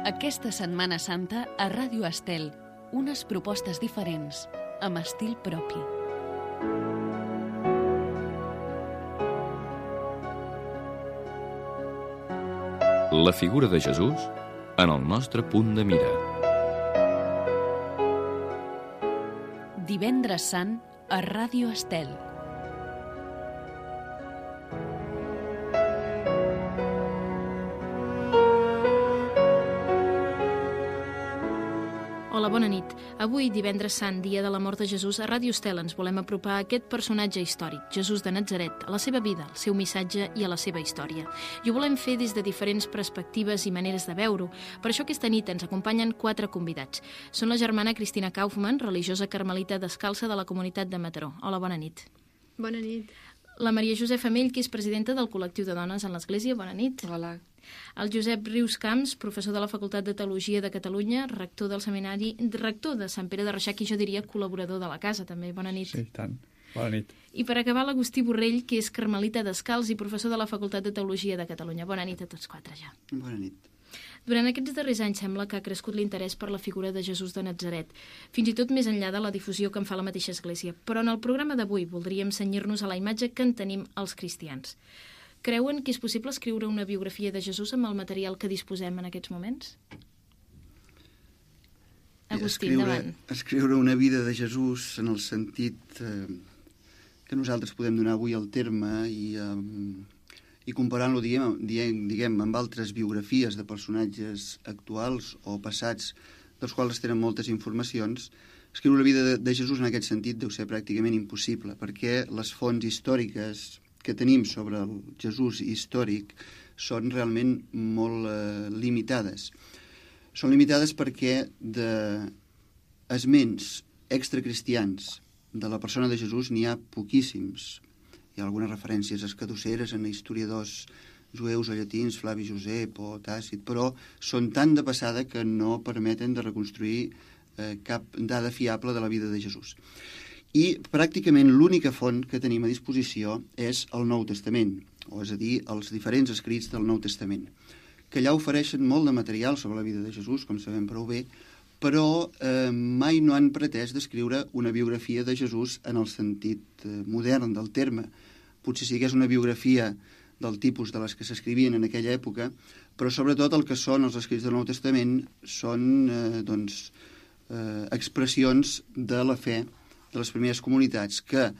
Aquesta Setmana Santa a Ràdio Estel, unes propostes diferents, amb estil propi. La figura de Jesús en el nostre punt de mira. Divendres Sant a Ràdio Estel. Hola, bona nit. Avui, divendres Sant, dia de la mort de Jesús, a Ràdio Estel ens volem apropar a aquest personatge històric, Jesús de Natzaret, a la seva vida, al seu missatge i a la seva història. I ho volem fer des de diferents perspectives i maneres de veure-ho. Per això aquesta nit ens acompanyen 4 convidats. Són la germana Cristina Kaufmann, religiosa carmelita descalça de la comunitat de Mataró. Hola, bona nit. Bona nit. La Maria Josefa Mell, que és presidenta del col·lectiu de dones en l'Església. Bona nit. Hola. El Josep Rius Camps, professor de la Facultat de Teologia de Catalunya, rector del seminari, rector de Sant Pere de Reixac i jo diria col·laborador de la casa, també. Bona nit. Sí, tant. Bona nit. I per acabar, l'Agustí Borrell, que és carmelita descalç i professor de la Facultat de Teologia de Catalunya. Bona nit a tots 4 ja. Bona nit. Durant aquests darrers anys sembla que ha crescut l'interès per la figura de Jesús de Natzaret, fins i tot més enllà de la difusió que en fa la mateixa Església. Però en el programa d'avui voldríem cenyir-nos a la imatge que en tenim els cristians. Creuen que és possible escriure una biografia de Jesús amb el material que disposem en aquests moments? Agustí, endavant. Escriure una vida de Jesús en el sentit que nosaltres podem donar avui al terme i comparant-lo, diguem, amb altres biografies de personatges actuals o passats dels quals tenen moltes informacions, escriure la vida de Jesús en aquest sentit deu ser pràcticament impossible, perquè les fonts històriques que tenim sobre el Jesús històric són realment molt limitades. Són limitades perquè d'esments extracristians de la persona de Jesús n'hi ha poquíssims. Hi ha algunes referències escadusseres en historiadors jueus o llatins, Flavi Josep o Tàcit, però són tan de passada que no permeten de reconstruir cap dada fiable de la vida de Jesús. I pràcticament l'única font que tenim a disposició és el Nou Testament, o és a dir, els diferents escrits del Nou Testament, que allà ofereixen molt de material sobre la vida de Jesús, com sabem prou bé, però mai no han pretès descriure una biografia de Jesús en el sentit modern del terme. Potser sí que és una biografia del tipus de les que s'escrivien en aquella època, però sobretot el que són els escrits del Nou Testament són expressions de la fe de les primeres comunitats que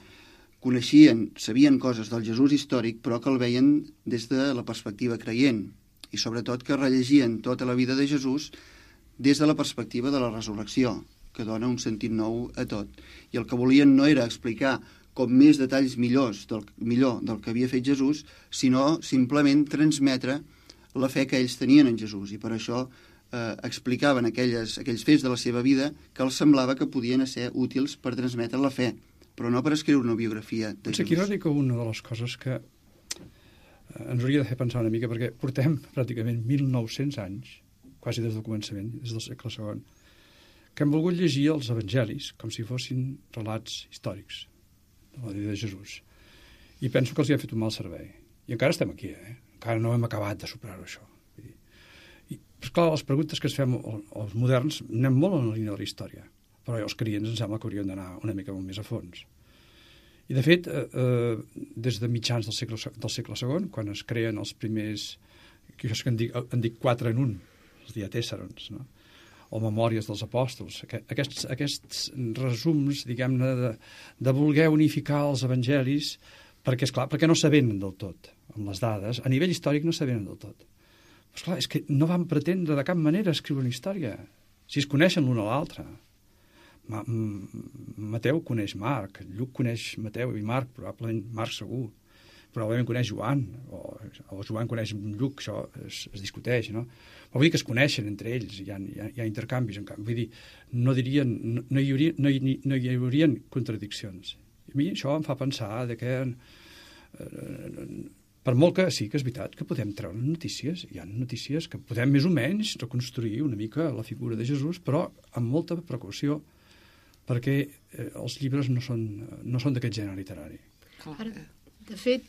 coneixien, sabien coses del Jesús històric, però que el veien des de la perspectiva creient i sobretot que rellegien tota la vida de Jesús des de la perspectiva de la resurrecció, que dona un sentit nou a tot. I el que volien no era explicar com més detalls millor del que havia fet Jesús, sinó simplement transmetre la fe que ells tenien en Jesús. I per això explicaven aquells fets de la seva vida que els semblava que podien ser útils per transmetre la fe, però no per escriure una biografia de Jesús. Aquí no dic una de les coses que ens hauria de fer pensar una mica, perquè portem pràcticament 1.900 anys, quasi des del començament, des del segle II, que hem volgut llegir els evangelis com si fossin relats històrics de la vida de Jesús. I penso que els hi ha fet un mal servei. I encara estem aquí, encara no hem acabat de superar-ho, això. Però, clar, les preguntes que es fem els moderns anem molt en la línia de la història, però els creients em sembla que haurien d'anar una mica molt més a fons. I, de fet, des de mitjans del segle II, quan es creen els primers, que en dic 4 en 1, els diatèsserons, no? O memòries dels apòstols, aquests resums, diguem-ne, de voler unificar els evangelis, perquè, esclar, perquè no s'avenen del tot, amb les dades, a nivell històric no s'avenen del tot. Però, esclar, és que no van pretendre de cap manera escriure una història, si es coneixen l'un a l'altre. Mateu coneix Marc, Lluc coneix Mateu i Marc, probablement Marc segur, probablement coneix Joan, o Joan coneix Lluc, això es discuteix, no? Però vull dir que es coneixen entre ells, hi ha intercanvis, vull dir, no hi haurien contradiccions. I a mi això em fa pensar que per molt que sí que és veritat que podem treure notícies, hi ha notícies que podem més o menys reconstruir una mica la figura de Jesús, però amb molta precaució, perquè els llibres no són d'aquest gènere literari. Ara, de fet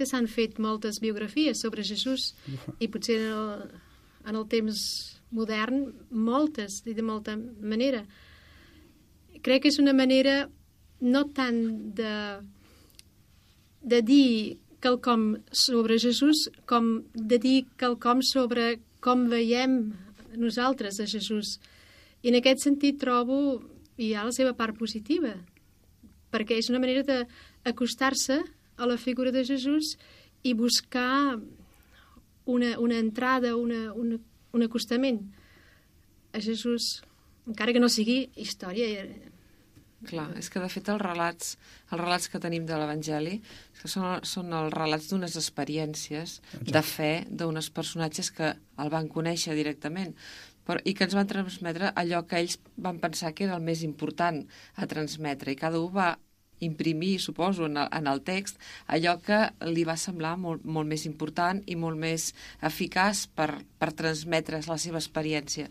s'han fet moltes biografies sobre Jesús i potser en el temps modern moltes, i de molta manera. Crec que és una manera no tant de dir quelcom sobre Jesús com de dir quelcom sobre com veiem nosaltres a Jesús. I en aquest sentit trobo hi ha la seva part positiva, perquè és una manera d'acostar-se a la figura de Jesús i buscar una entrada, un acostament a Jesús, encara que no sigui història. Clar, és que de fet els relats que tenim de l'Evangeli són els relats d'unes experiències de fe d'uns personatges que el van conèixer directament i que ens van transmetre allò que ells van pensar que era el més important a transmetre, i cada un va imprimir, suposo, en el text allò que li va semblar molt, molt més important i molt més eficaç per transmetre la seva experiència.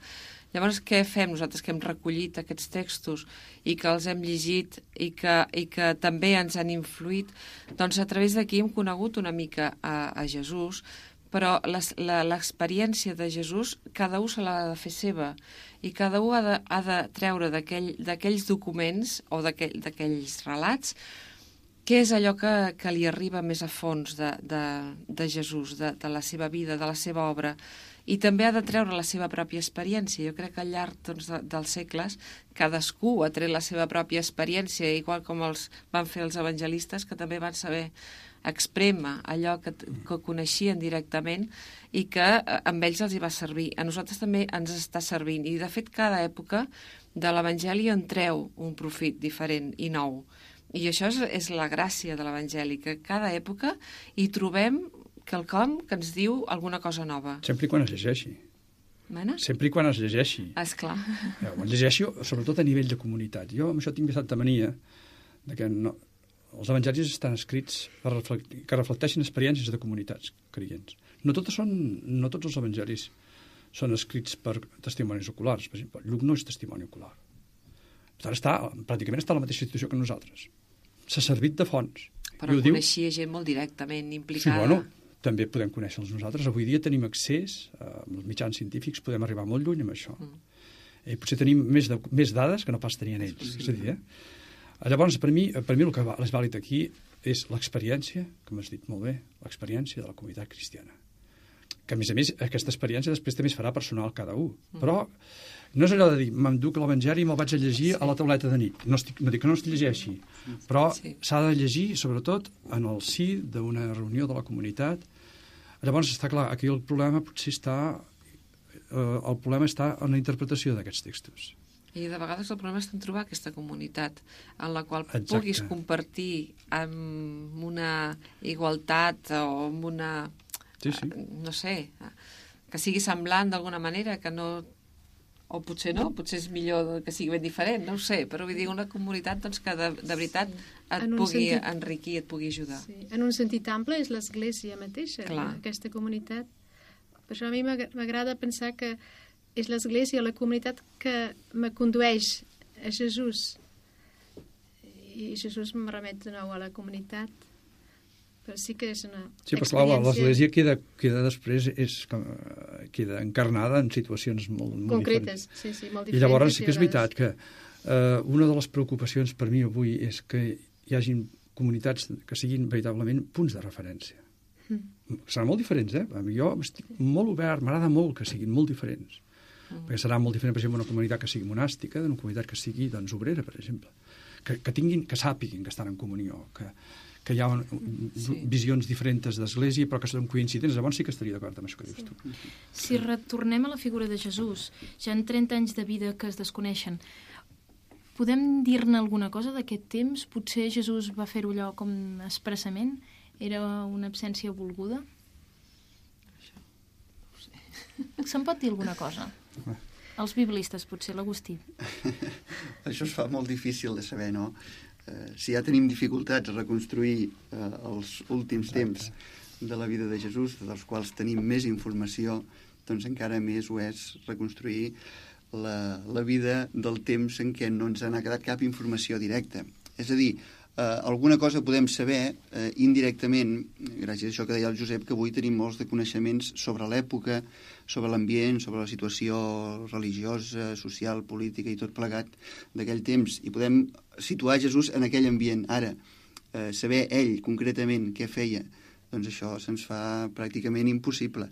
Llavors, què fem nosaltres que hem recollit aquests textos i que els hem llegit i que també ens han influït? Doncs a través d'aquí hem conegut una mica a Jesús, però l'experiència de Jesús cada un se l'ha de fer seva i cada un ha de treure d'aquells documents o d'aquells relats què és allò que li arriba més a fons de Jesús, de la seva vida, de la seva obra. I també ha de treure la seva pròpia experiència. Jo crec que al llarg dels segles cadascú ha tret la seva pròpia experiència, igual com els van fer els evangelistes, que també van saber exprémer allò que coneixien directament i que amb ells els hi va servir. A nosaltres també ens està servint. I, de fet, cada època de l'Evangeli en treu un profit diferent i nou. I això és la gràcia de l'Evangeli, que cada època hi trobem quelcom que ens diu alguna cosa nova. Sempre i quan es llegeixi. Mena? Sempre i quan es llegeixi. Esclar. Es llegeixi, sobretot a nivell de comunitat. Jo amb això tinc bastanta mania de que els evangelis estan escrits que reflecteixin experiències de comunitats creients. No tots els evangelis són escrits per testimonis oculars. Per exemple, Lluc no és testimoni ocular. Pràcticament està a la mateixa situació que nosaltres. S'ha servit de fonts. Però coneixia gent molt directament implicada. Sí, bueno, també podem conèixer-los nosaltres. Avui dia tenim accés als mitjans científics, podem arribar molt lluny amb això. I potser tenim més dades que no pas tenien ells. És a dir, llavors, per mi el que és vàlid aquí és l'experiència, com has dit molt bé, l'experiència de la comunitat cristiana. Que, a més, aquesta experiència després també es farà personal cada un. Però no és allò de dir, m'enduc l'Evangeli i me'l vaig a llegir a la tauleta de nit. No dic que no es llegeixi, però s'ha de llegir, sobretot, en el si d'una reunió de la comunitat. Llavors, està clar, aquí el problema potser està en la interpretació d'aquests textos. I de vegades el problema és en trobar aquesta comunitat en la qual puguis compartir amb una igualtat o amb una... no sé, que sigui semblant d'alguna manera, que no... O potser no, potser és millor que sigui ben diferent, no ho sé, però vull dir una comunitat doncs, que de veritat et pugui enriquir, et pugui ajudar. Sí. En un sentit ample és l'Església mateixa, aquesta comunitat. Per això a mi m'agrada pensar que és l'Església, la comunitat que me condueix a Jesús. I Jesús me remet de nou a la comunitat. Però sí que és una experiència... Clar, l'Església queda després, queda encarnada en situacions molt concretes, diferents. Sí, molt diferents. I llavors sí que és veritat que una de les preocupacions per mi avui és que hi hagin comunitats que siguin veritablement punts de referència. Seran molt diferents, Jo estic molt obert, m'agrada molt que siguin molt diferents. Perquè serà molt diferent, per exemple, una comunitat que sigui monàstica d'una comunitat que sigui, doncs, obrera, per exemple. Que sàpiguin que estan en comunió, que hi ha visions diferents d'Església però que són coincidents, llavors sí que estaria d'acord amb això que dius tu. Si retornem a la figura de Jesús, ja en 30 anys de vida que es desconeixen, podem dir-ne alguna cosa d'aquest temps? Potser Jesús va fer-ho allò com expressament? Era una absència volguda? Se'n pot dir alguna cosa? Els biblistes, potser, l'Agustí. Això es fa molt difícil de saber, no? Si ja tenim dificultats a reconstruir els últims temps de la vida de Jesús, dels quals tenim més informació, doncs encara més ho és reconstruir la vida del temps en què no ens n'ha quedat cap informació directa. És a dir, alguna cosa podem saber indirectament, gràcies a això que deia el Josep, que avui tenim molts de coneixements sobre l'època, sobre l'ambient, sobre la situació religiosa, social, política i tot plegat d'aquell temps, i podem situar Jesús en aquell ambient. Ara, saber ell concretament què feia, doncs això se'ns fa pràcticament impossible.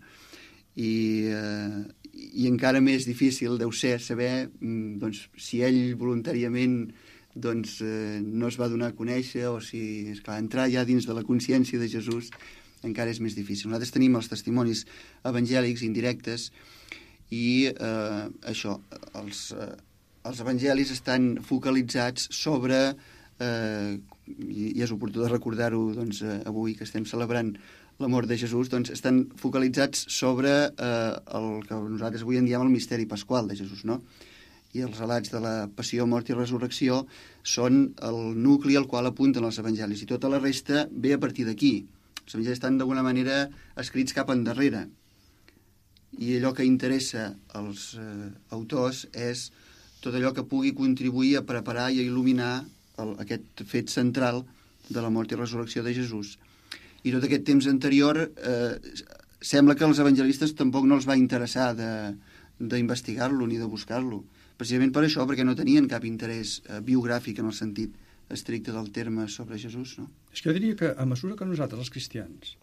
I encara més difícil deu ser saber doncs, si ell voluntàriament no es va donar a conèixer, o si, esclar, entrar ja dins de la consciència de Jesús encara és més difícil. Nosaltres tenim els testimonis evangèlics indirectes i això, els evangelis estan focalitzats sobre, i és oportú de recordar-ho doncs, avui que estem celebrant la mort de Jesús, doncs estan focalitzats sobre el que nosaltres avui en diem el misteri pasqual de Jesús, no? I els relats de la passió, mort i resurrecció són el nucli al qual apunten els evangelis, i tota la resta ve a partir d'aquí. Els evangelis estan d'alguna manera escrits cap endarrere, i allò que interessa als autors és tot allò que pugui contribuir a preparar i a il·luminar aquest fet central de la mort i resurrecció de Jesús. I tot aquest temps anterior sembla que als evangelistes tampoc no els va interessar d'investigar-lo ni de buscar-lo, precisament per això, perquè no tenien cap interès biogràfic en el sentit estricte del terme sobre Jesús, no? És que jo diria que a mesura que nosaltres, els cristians,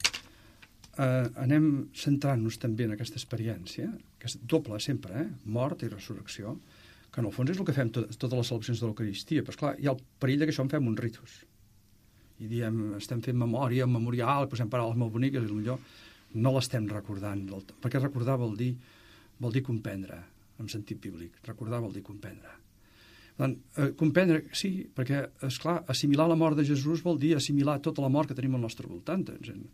anem centrant-nos també en aquesta experiència, que és doble sempre, mort i resurrecció, que en el fons és el que fem totes les celebracions de l'Eucaristia, però esclar, hi ha el perill que això en fem un ritus. I diem, estem fent memòria, un memorial, posem paraules molt boniques, i potser no l'estem recordant, perquè recordar vol dir comprendre, en sentit bíblic. Recordar vol dir comprendre. Comprendre, sí, perquè, esclar, assimilar la mort de Jesús vol dir assimilar tota la mort que tenim al nostre voltant. Vull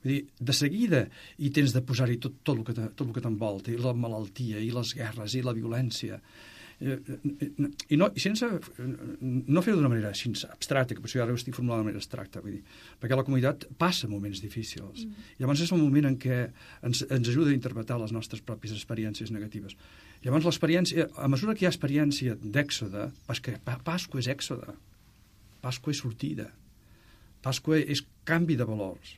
dir, de seguida hi tens de posar-hi tot el que t'envolta, i la malaltia, i les guerres, i la violència. I sense no fer-ho d'una manera així abstracta, que potser ara ho estic formulant de manera abstracta, vull dir, perquè la comunitat passa moments difícils. I llavors és el moment en què ens ajuda a interpretar les nostres pròpies experiències negatives. Llavors l'experiència, a mesura que hi ha experiència d'èxode, perquè Pasqua és èxode, Pasqua és sortida, Pasqua és canvi de valors.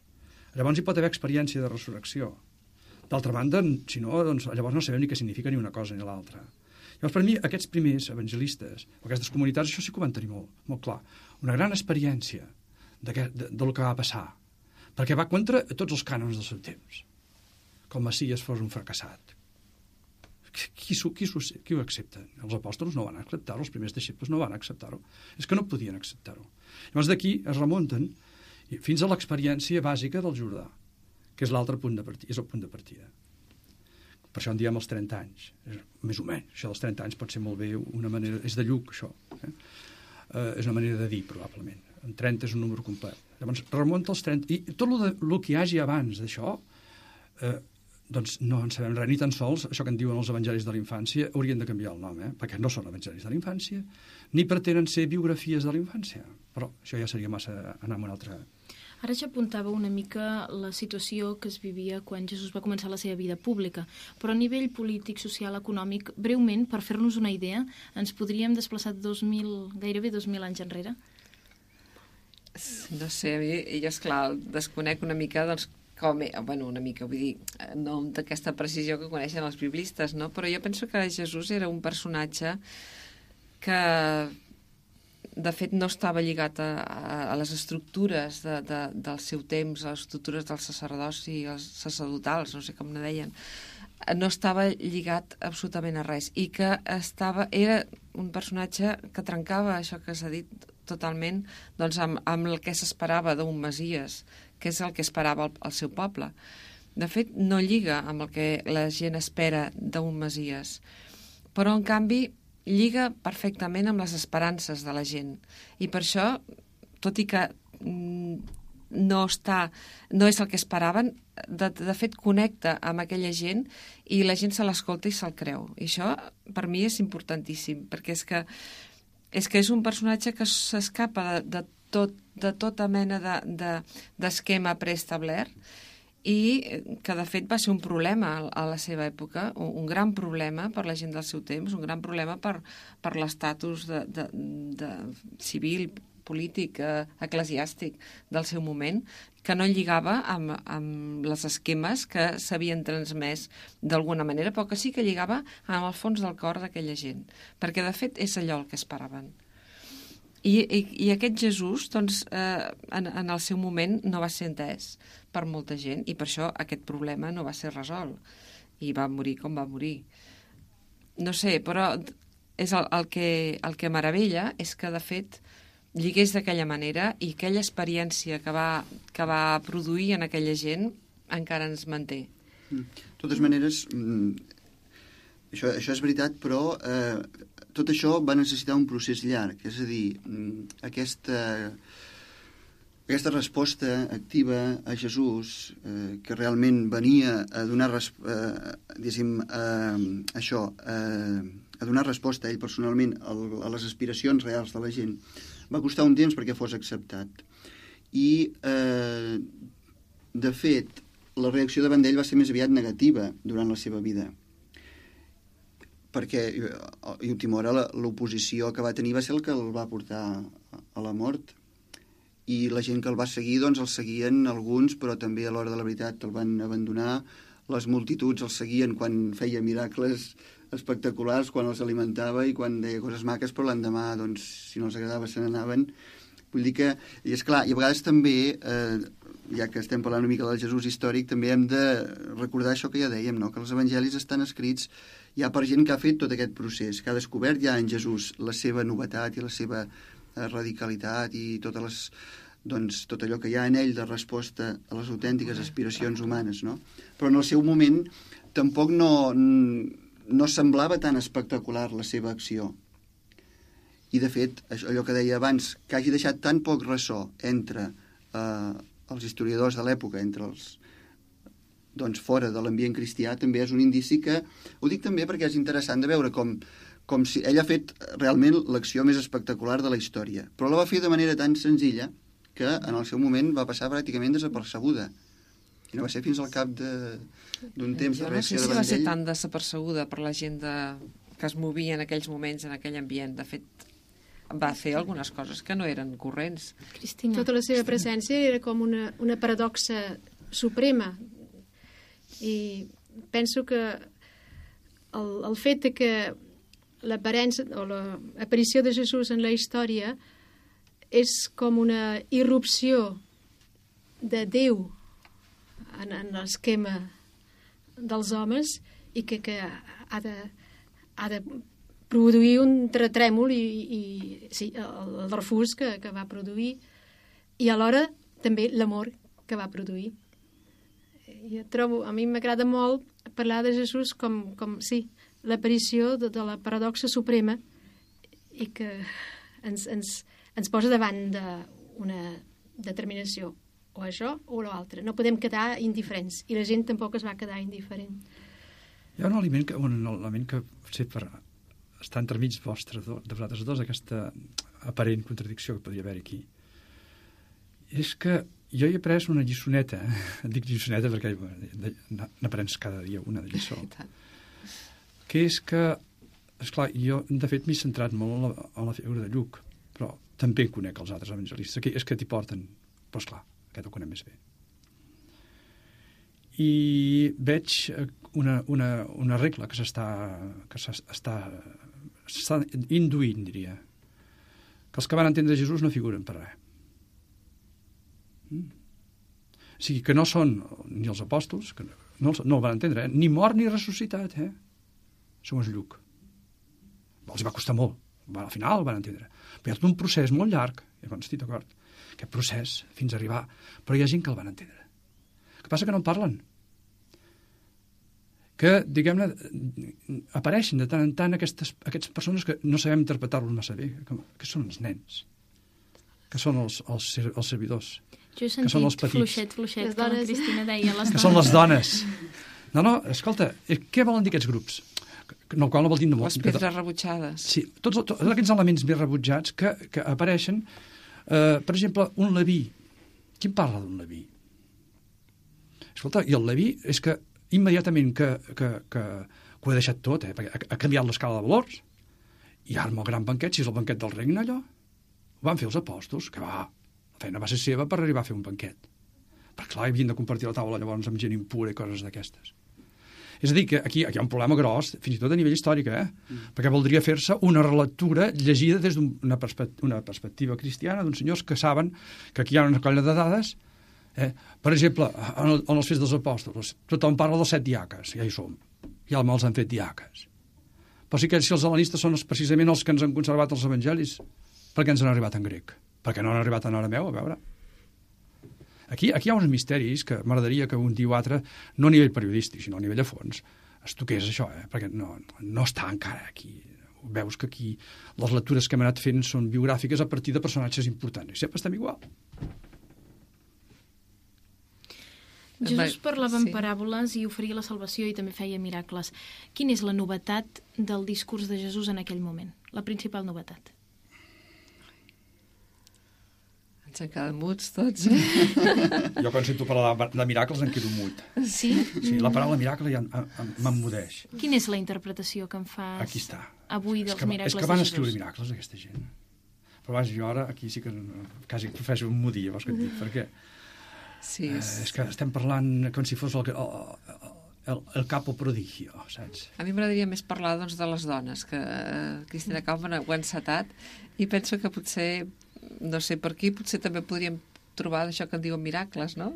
Llavors hi pot haver experiència de resurrecció. D'altra banda, si no, doncs, llavors no sabem ni què significa ni una cosa ni l'altra. Llavors, per mi, aquests primers evangelistes, aquestes comunitats, això sí que ho van tenir molt clar. Una gran experiència del que va passar, perquè va contra tots els cànons del seu temps. Com Messies fos un fracassat. Qui ho accepta? Els apòstols no van acceptar-ho, els primers deixebles no van acceptar-ho. És que no podien acceptar-ho. Llavors d'aquí es remunten fins a l'experiència bàsica del Jordà, que és l'altre punt de partida, és el punt de partida. Per això en diem els 30 anys. Més o menys. Això dels 30 anys pot ser molt bé una manera... És de Lluc, això. És una manera de dir, probablement. En 30 és un número complet. Llavors, remunta als 30... I tot el que hi hagi abans d'això, doncs no en sabem res, ni tan sols això que en diuen els evangelis de la infància haurien de canviar el nom, perquè no són evangelis de la infància, ni pretenen ser biografies de la infància. Però això ja seria massa anar amb una altra... Ara ja apuntava una mica la situació que es vivia quan Jesús va començar la seva vida pública, però a nivell polític, social, econòmic, breument, per fer-nos una idea, ens podríem desplaçar gairebé 2.000 anys enrere? No sé, a mi, jo, esclar, desconec una mica, doncs, una mica, vull dir, no d'aquesta precisió que coneixen els biblistes, no? Però jo penso que Jesús era un personatge que, de fet, no estava lligat a les estructures del seu temps, a les estructures dels sacerdots i els sacerdotals, no sé com ne deien. No estava lligat absolutament a res, i que era un personatge que trencava això que s'ha dit totalment, doncs, amb el que s'esperava d'un Messies, que és el que esperava el seu poble. De fet, no lliga amb el que la gent espera d'un Messies, però, en canvi, lliga perfectament amb les esperances de la gent. I per això, tot i que no és el que esperaven, de fet connecta amb aquella gent i la gent se l'escolta i se'l creu. I això, per mi, és importantíssim, perquè és que és un personatge que s'escapa de tota mena d'esquema preestablert i que, de fet, va ser un problema a la seva època, un gran problema per la gent del seu temps, un gran problema per l'estatus civil, polític, eclesiàstic del seu moment, que no lligava amb les esquemes que s'havien transmès d'alguna manera, però que sí que lligava amb el fons del cor d'aquella gent, perquè de fet és allò el que esperaven. I aquest Jesús, doncs, en el seu moment no va ser entès per molta gent, i per això aquest problema no va ser resolt, i va morir com va morir. No sé, però és el que meravella és que, de fet, lligués d'aquella manera i aquella experiència que va produir en aquella gent encara ens manté. De totes maneres, això és veritat, però tot això va necessitar un procés llarg. És a dir, aquesta resposta activa a Jesús, que realment venia a donar a donar resposta a ell personalment a les aspiracions reals de la gent, va costar un temps perquè fos acceptat. I, de fet, la reacció davant d'ell va ser més aviat negativa durant la seva vida, perquè, a última hora, l'oposició que va tenir va ser el que el va portar a la mort, i la gent que el va seguir, doncs el seguien alguns, però també a l'hora de la veritat el van abandonar. Les multituds el seguien quan feia miracles espectaculars, quan els alimentava i quan deia coses maques, però l'endemà, doncs, si no els agradava, se n'anaven. Vull dir que, i és clar, i a vegades també, ja que estem parlant una mica del Jesús històric, també hem de recordar això que ja dèiem, no? Que els evangelis estan escrits ja per gent que ha fet tot aquest procés, que ha descobert ja en Jesús la seva novetat i la seva radicalitat i tot allò que hi ha en ell de resposta a les autèntiques aspiracions humanes, no? Però en el seu moment tampoc no semblava tan espectacular la seva acció. I, de fet, allò que deia abans, que hagi deixat tan poc ressò entre els historiadors de l'època, entre els fora de l'ambient cristià, també és un indici que... Ho dic també perquè és interessant de veure com si ell ha fet realment l'acció més espectacular de la història, però la va fer de manera tan senzilla que en el seu moment va passar pràcticament desapercebuda. I no va ser fins al cap d'un temps de reacció davant d'ell. Jo no sé si va ser tan desapercebuda per la gent que es movia en aquells moments, en aquell ambient. De fet, va fer algunes coses que no eren corrents. Cristina. Tota la seva presència era com una paradoxa suprema. I penso que el fet de que l'aparença o l'aparició de Jesús en la història és com una irrupció de Déu en l'esquema dels homes i que ha de produir un terratrèmol i sí, el refús que va produir i alhora també l'amor que va produir. Jo trobo, a mi m'agrada molt parlar de Jesús com sí, l'aparició de la paradoxa suprema i que ens posa davant d'una determinació, o això o l'altre. No podem quedar indiferents, i la gent tampoc es va quedar indiferent. Hi ha un element que potser per estar entremig de vosaltres dos, aquesta aparent contradicció que podria haver aquí, és que jo he après una lliçoneta, dic lliçoneta perquè n'aprens cada dia una de lliçó, que és que, esclar, jo de fet m'he centrat molt en la figura de Lluc, però també conec els altres evangelistes, és que t'hi porten, però esclar, aquest ho conec més bé. I veig una regla que s'està induint, diria, que els que van entendre Jesús no figuren per res. O sigui, que no són ni els apòstols, que no el van entendre, ni mort ni ressuscitat, som els Lluc. Els va costar molt, al final el van entendre. Però hi ha tot un procés molt llarg, estic d'acord, aquest procés fins a arribar, però hi ha gent que el van entendre. El que passa que no en parlen. Que, diguem-ne, apareixen de tant en tant aquestes persones que no sabem interpretar-los massa bé, que són els nens, que són els servidors, jo he que són els petits. Fluixet, que la Cristina deia, les dones. Que són les dones. No, escolta, què volen dir aquests grups? No, qual no vol dir... Les pedres rebutjades. Sí, tots aquests elements més rebutjats que apareixen. Per exemple, un Leví. Qui parla d'un Leví? Escolta, i el Leví és que immediatament que ho ha deixat tot, perquè ha canviat l'escala de valors, i ara amb el gran banquet, si és el banquet del regne, allò, Ho van fer els apòstols, que la feina va ser seva per arribar a fer un banquet. Perquè, clar, havien de compartir la taula llavors amb gent impura i coses d'aquestes. És a dir, que aquí hi ha un problema gros, fins i tot a nivell històric, perquè voldria fer-se una relectura llegida des d'una perspectiva cristiana d'uns senyors que saben que aquí hi ha una colla de dades. Per exemple, en els Fets dels Apòstols, tothom parla dels 7 diaques, ja hi som, ja els han fet diaques. Però sí que si els hel·lenistes són precisament els que ens han conservat els evangelis, per què ens han arribat en grec? Per què no han arribat en arameu? A veure. Aquí hi ha uns misteris que m'agradaria que un dia o altre, no a nivell periodístic, sinó a nivell de fons, es toqués això, perquè no està encara aquí. Veus que aquí les lectures que hem anat fent són biogràfiques a partir de personatges importants. I sempre estem igual. Jesús parlava en paràboles i oferia la salvació i també feia miracles. Quina és la novetat del discurs de Jesús en aquell moment? La principal novetat? Ens han quedat muts tots. Jo quan sento parlar de miracles em quedo mut. Sí? Sí, la paraula miracle ja m'emmudeix. Quina és la interpretació que em fas Aquí està. avui dels miracles de Jesús? És que van escriure miracles aquesta gent. Però vaja, jo ara aquí sí que quasi professo un mudí, vols que et dic, perquè Sí, és que estem parlant com si fos el capo prodigio, saps? A mi m'agradaria més parlar doncs, de les dones, que Cristina Kaufmann ho ha encetat, i penso que potser, no sé per aquí, potser també podríem trobar això que en diuen miracles, no?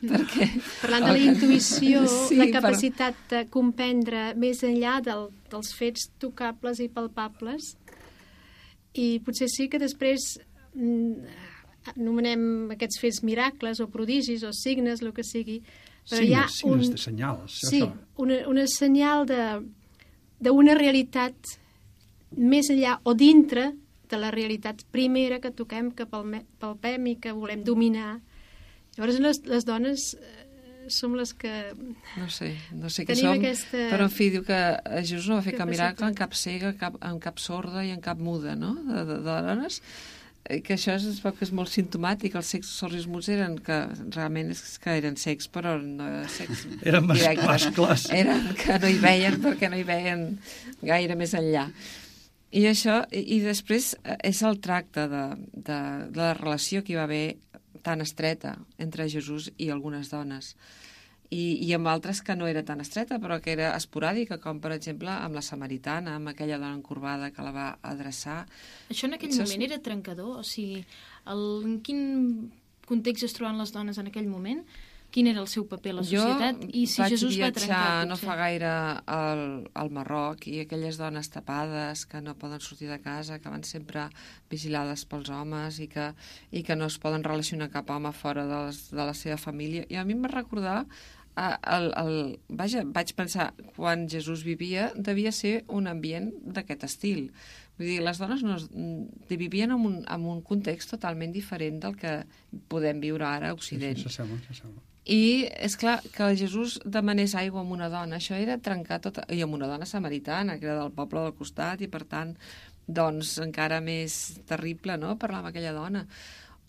Perquè... Parlant de la intuïció, sí, la capacitat de comprendre més enllà dels fets tocables i palpables, i potser sí que després anomenem aquests fets miracles o prodigis o signes, el que sigui, però hi ha signes de senyals. Sí, una senyal d'una realitat més enllà o dintre de la realitat primera que toquem, que palpem i que volem dominar. Llavors les dones som les que... No sé què som, però en fi, diu que Jesús no va fer cap miracle en cap cega, en cap sorda i en cap muda, no?, de dones, que això es veu que és molt simptomàtic. Els cecs sords i muts eren que realment és que eren cecs, però no cecs eren mascles. Eren que no hi veien perquè no hi veien gaire més enllà. I això, i després és el tracte de la relació que hi va haver tan estreta entre Jesús i algunes dones. I amb altres que no era tan estreta, però que era esporàdica, com per exemple amb la samaritana, amb aquella dona encorbada que la va adreçar. Això en aquell moment era trencador? O sigui, en quin context es troben les dones en aquell moment? Quin era el seu paper a la societat? I si Jesús va trencar, viatjar no fa gaire al Marroc, i aquelles dones tapades que no poden sortir de casa, que van sempre vigilades pels homes i que no es poden relacionar cap home fora de la seva família. I a mi em va recordar vaig pensar, quan Jesús vivia devia ser un ambient d'aquest estil. Vull dir, les dones vivien en un context totalment diferent del que podem viure ara a Occident. Sí, s'assembla. I és clar que Jesús demanés aigua amb una dona, això era trencar tot, i amb una dona samaritana, que era del poble del costat, i per tant, doncs, encara més terrible, no?, parlar amb aquella dona.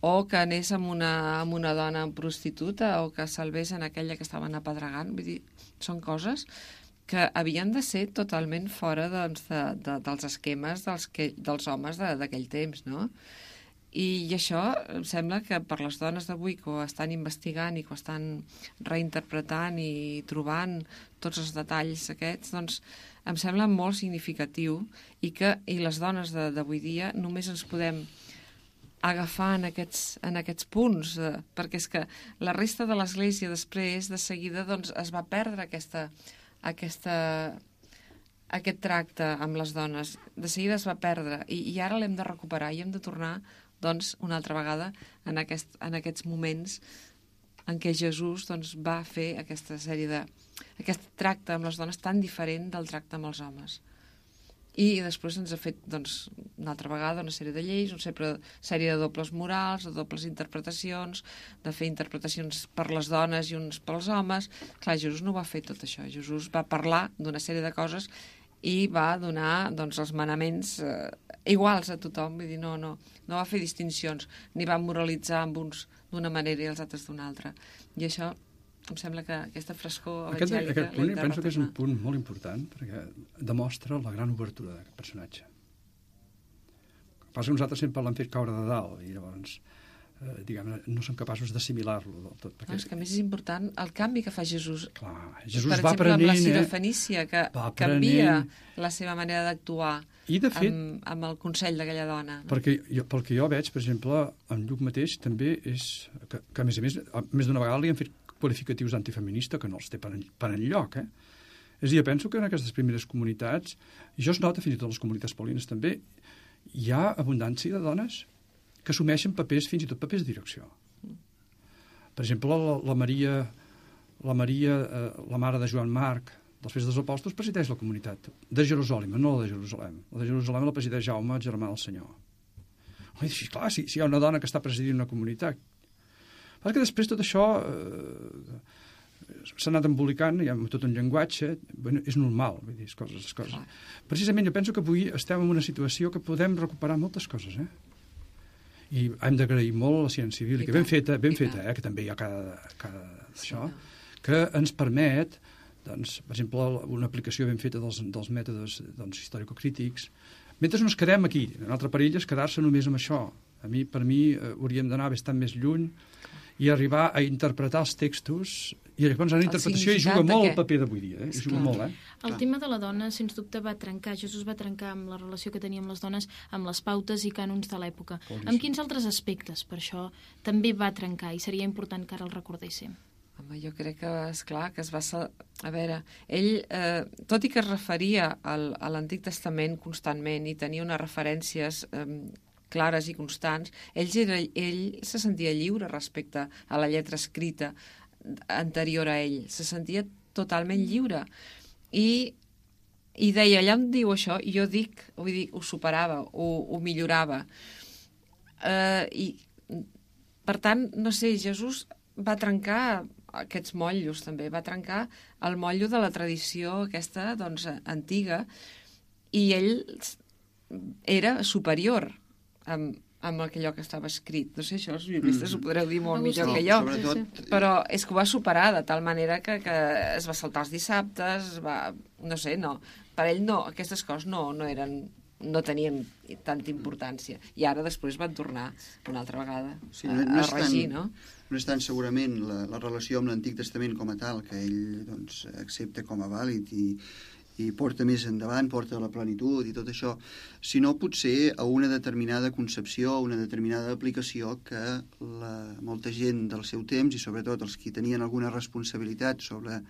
O que anés amb una dona prostituta, o que salvés en aquella que estaven apedregant. Vull dir, són coses que havien de ser totalment fora dels esquemes dels homes d'aquell temps, no? I això em sembla que per les dones d'avui que ho estan investigant i que ho estan reinterpretant i trobant tots els detalls aquests, doncs em sembla molt significatiu, i les dones d'avui dia només ens podem agafar en aquests punts, perquè és que la resta de l'Església després, de seguida, doncs, es va perdre aquest tracte amb les dones. De seguida es va perdre, i ara l'hem de recuperar, i hem de tornar, doncs, una altra vegada en aquests moments en què Jesús doncs, va fer aquest tracte amb les dones tan diferent del tracte amb els homes. I després ens ha fet, doncs, una altra vegada una sèrie de lleis, una sèrie de dobles morals, de dobles interpretacions, de fer interpretacions per les dones i uns pels homes. Clar, Jesús no va fer tot això. Jesús va parlar d'una sèrie de coses i va donar, doncs, els manaments iguals a tothom. Vull dir, no va fer distincions, ni va moralitzar amb uns d'una manera i els altres d'una altra. I això em sembla que aquesta frescor evangèlica... Aquest punt penso que és un punt molt important, perquè demostra la gran obertura d'aquest personatge. Passa que nosaltres sempre l'hem fet caure de dalt i llavors diguem, no som capaços d'assimilar-lo del tot. Perquè... És que a més és important el canvi que fa Jesús. Clar, Jesús per va exemple, amb la aprenent, Sirofenícia, que canvia la seva manera d'actuar i de fet, amb el consell d'aquella dona. No? Perquè pel que jo veig, per exemple, en Lluc mateix també és que a més d'una vegada li han fet qualificatius d'antifeminista que no els té per enlloc, És a dir, penso que en aquestes primeres comunitats, i això es nota fins i tot en les comunitats paulines també, hi ha abundància de dones que assumeixen papers, fins i tot papers de direcció. Per exemple, la Maria, la mare de Joan Marc, dels Fets dels Apòstols, presideix la comunitat de Jerusalem, no la de Jerusalem. La de Jerusalem la presideix Jaume, el germà del Senyor. I dius, clar, si hi ha una dona que està presidint una comunitat. Perquè després tot això s'ha anat embolicant, hi ha tot un llenguatge, bueno, és normal, vull dir, coses. Precisament jo penso que avui estem en una situació que podem recuperar moltes coses, I hem d'agrair molt a la ciència civil, que ben feta, que també hi ha cada això, que ens permet, doncs, per exemple, una aplicació ben feta dels mètodes històrico-crítics. Mentre no ens quedem aquí, un altre perill és quedar-se només amb això. Per mi hauríem d'anar bastant més lluny i arribar a interpretar els textos, i llavors en la interpretació hi juga molt el paper d'avui dia, hi juga molt, El tema de la dona, sens dubte, Jesús va trencar amb la relació que tenia amb les dones, amb les pautes i cànons de l'època. Amb quins altres aspectes, per això, també va trencar, i seria important que ara el recordéssim? Home, jo crec que, esclar, que es va... A veure, ell, tot i que es referia a l'Antic Testament constantment i tenia unes referències clares i constants, ell se sentia lliure respecte a la lletra escrita anterior a ell. Se sentia totalment lliure. I deia, allà on diu això, i jo dic, vull dir, ho superava, ho millorava. I, per tant, no sé, Jesús va trencar aquests motllos, també. Va trencar el motllo de la tradició aquesta, doncs, antiga, i ell era superior amb allò que estava escrit. No sé, això els biblistes ho podreu dir molt millor que jo. Però és que ho va superar de tal manera que es va saltar els dissabtes, no sé, no. Per ell no, aquestes coses no tenien tanta importància. I ara després van tornar una altra vegada a regir, no? No és tant segurament la relació amb l'Antic Testament com a tal, que ell doncs, accepta com a vàlid i porta més endavant, porta a la plenitud i tot això, sinó potser a una determinada concepció, a una determinada aplicació que molta gent del seu temps, i sobretot els que tenien alguna responsabilitat sobre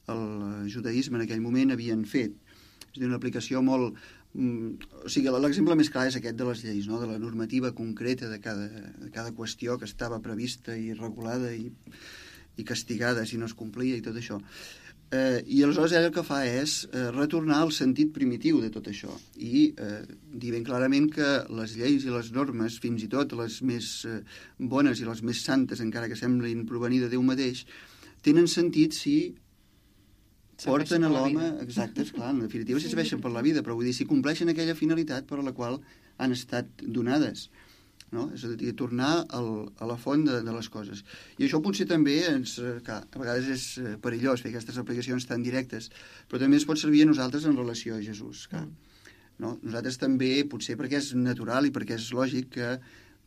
el judaïsme en aquell moment, havien fet. És a dir, una aplicació molt... O sigui, l'exemple més clar és aquest de les lleis, no? De la normativa concreta de cada qüestió que estava prevista i regulada i castigada si no es complia i tot això. I aleshores ell el que fa és retornar al sentit primitiu de tot això i dir ben clarament que les lleis i les normes, fins i tot les més bones i les més santes, encara que semblin provenir de Déu mateix, tenen sentit si porten a l'home... Exacte, és clar, en definitiva si serveixen per la vida, però vull dir, si compleixen aquella finalitat per a la qual han estat donades. No? És a dir, tornar a la font de les coses. I això potser també a vegades és perillós fer aquestes aplicacions tan directes, però també ens pot servir a nosaltres en relació a Jesús. No? Nosaltres també, potser perquè és natural i perquè és lògic que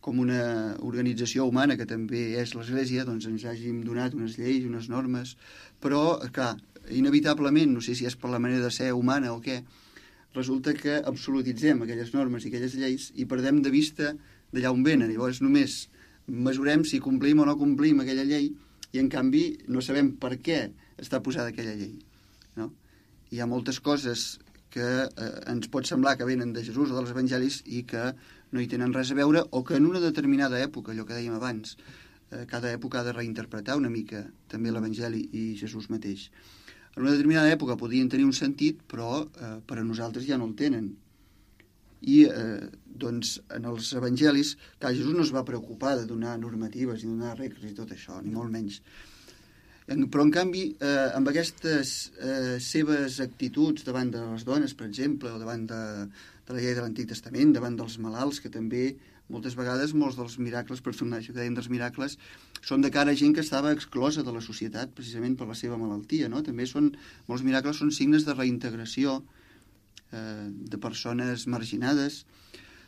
com una organització humana que també és l'Església, doncs ens hàgim donat unes lleis, unes normes, però, clar, inevitablement, no sé si és per la manera de ser humana o què, resulta que absolutitzem aquelles normes i aquelles lleis i perdem de vista d'allà on venen. Llavors només mesurem si complim o no complim aquella llei i en canvi no sabem per què està posada aquella llei. No? Hi ha moltes coses que ens pot semblar que venen de Jesús o dels evangelis i que no hi tenen res a veure o que en una determinada època, allò que dèiem abans, cada època ha de reinterpretar una mica també l'evangeli i Jesús mateix. En una determinada època podrien tenir un sentit, però per a nosaltres ja no el tenen. I doncs en els evangelis, clar, Jesús no es va preocupar de donar normatives ni donar regles i tot això, ni molt menys. Però en canvi, amb aquestes seves actituds davant de les dones, per exemple, o davant de la llei de l'Antic Testament, davant dels malalts, que també moltes vegades molts dels miracles, personatges que dèiem dels miracles, són de cara a gent que estava exclosa de la societat precisament per la seva malaltia, no? També molts miracles són signes de reintegració de persones marginades.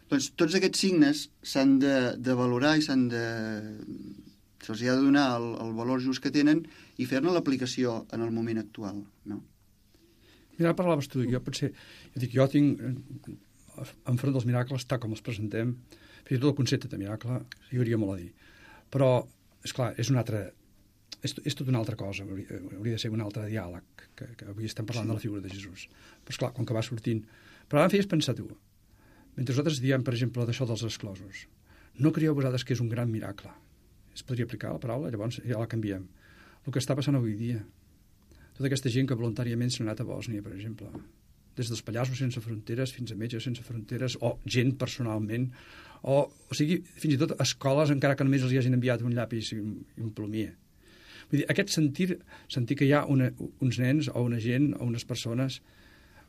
Doncs tots aquests signes s'han de valorar i se'ls ha de donar el valor just que tenen i fer-ne l'aplicació en el moment actual, no? Mira, parlaves tu, jo tinc enfront dels miracles, tal com els presentem, fins i tot el concepte de miracle, hi hauria molt a dir. Però, esclar, és tot una altra cosa, hauria de ser un altre diàleg, que avui estem parlant de la figura de Jesús. Però, esclar, com que va sortint... Però ara em feies pensar tu, mentre nosaltres diem, per exemple, d'això dels exclosos, no creieu vosaltres que és un gran miracle? Es podria aplicar la paraula? Llavors ja la canviem. El que està passant avui dia. Tota aquesta gent que voluntàriament s'ha anat a Bòsnia, per exemple, des dels Pallassos sense fronteres fins a Metges sense fronteres, o gent personalment, o sigui, fins i tot escoles, encara que només els hi hagin enviat un llapis i un plomier. Vull dir, aquest sentir que hi ha uns nens o una gent o unes persones,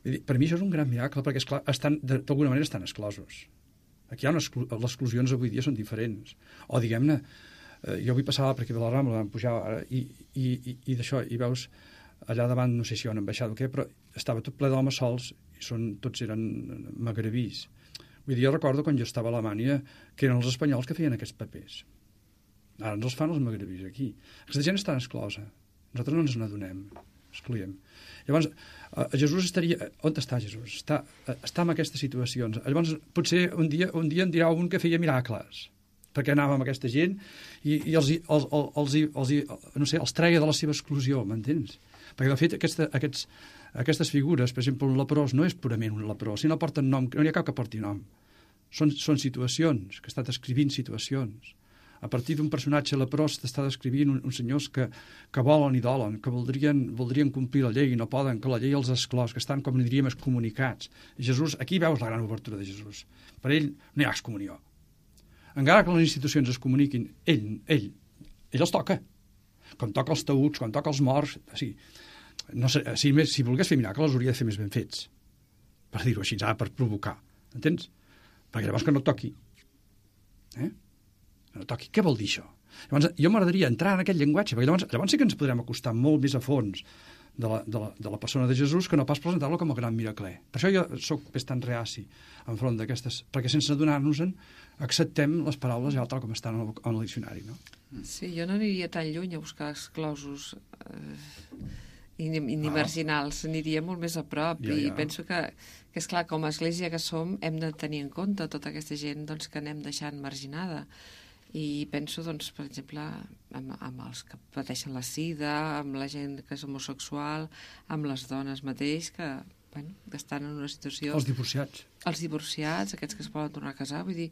vull dir, per mi això és un gran miracle, perquè, esclar, d'alguna manera estan exclosos. Aquí hi ha les exclusions avui dia són diferents. O, diguem-ne, jo avui passava per aquí de la Rambla, vam pujar i d'això, i veus allà davant, no sé si hi ha una ambaixada o què, però estava tot ple d'homes sols i tots eren magrebís. Vull dir, jo recordo quan jo estava a Alemanya que eren els espanyols que feien aquests papers. Ara ens els fan els magrebís aquí. Aquesta gent està exclosa. Nosaltres no ens n'adonem. Excluïm. Llavors, Jesús estaria... On està Jesús? Està en aquestes situacions. Llavors, potser un dia en dirà un que feia miracles, perquè anava amb aquesta gent i els treia de la seva exclusió, m'entens? Perquè, de fet, aquestes figures, per exemple, un leprós no és purament un leprós, si no porten nom, no hi ha cap que porti nom. Són situacions, que està descrivint situacions. A partir d'un personatge leprós t'està descrivint uns senyors que volen i dolen, que voldrien complir la llei i no poden, que la llei els exclòs, que estan, com diríem, excomunicats. I Jesús, aquí veus la gran obertura de Jesús. Per ell no hi ha excomunió. Encara que les institucions es comuniquin, ell els toca. Com toca els taüts, com toca els morts... Si volgués fer miracles, els hauria de fer més ben fets. Per dir-ho així, per provocar. Entens? Perquè llavors que no toqui. No toqui. Què vol dir això? Llavors, jo m'agradaria entrar en aquest llenguatge, perquè llavors sí que ens podrem acostar molt més a fons de la persona de Jesús que no pas presentar-lo com a gran miracler. Per això jo soc bastant reaci enfront d'aquestes... Perquè sense adonar-nos-en acceptem les paraules ja tal com estan en el diccionari, no? Sí, jo no aniria tan lluny a buscar exclosos ni marginals, aniria molt més a prop i penso que és clar, com a església que som hem de tenir en compte tota aquesta gent que anem deixant marginada i penso, doncs, per exemple amb els que pateixen la sida, amb la gent que és homosexual, amb les dones mateix que estan en una situació... Els divorciats, aquests que es poden tornar a casar, vull dir,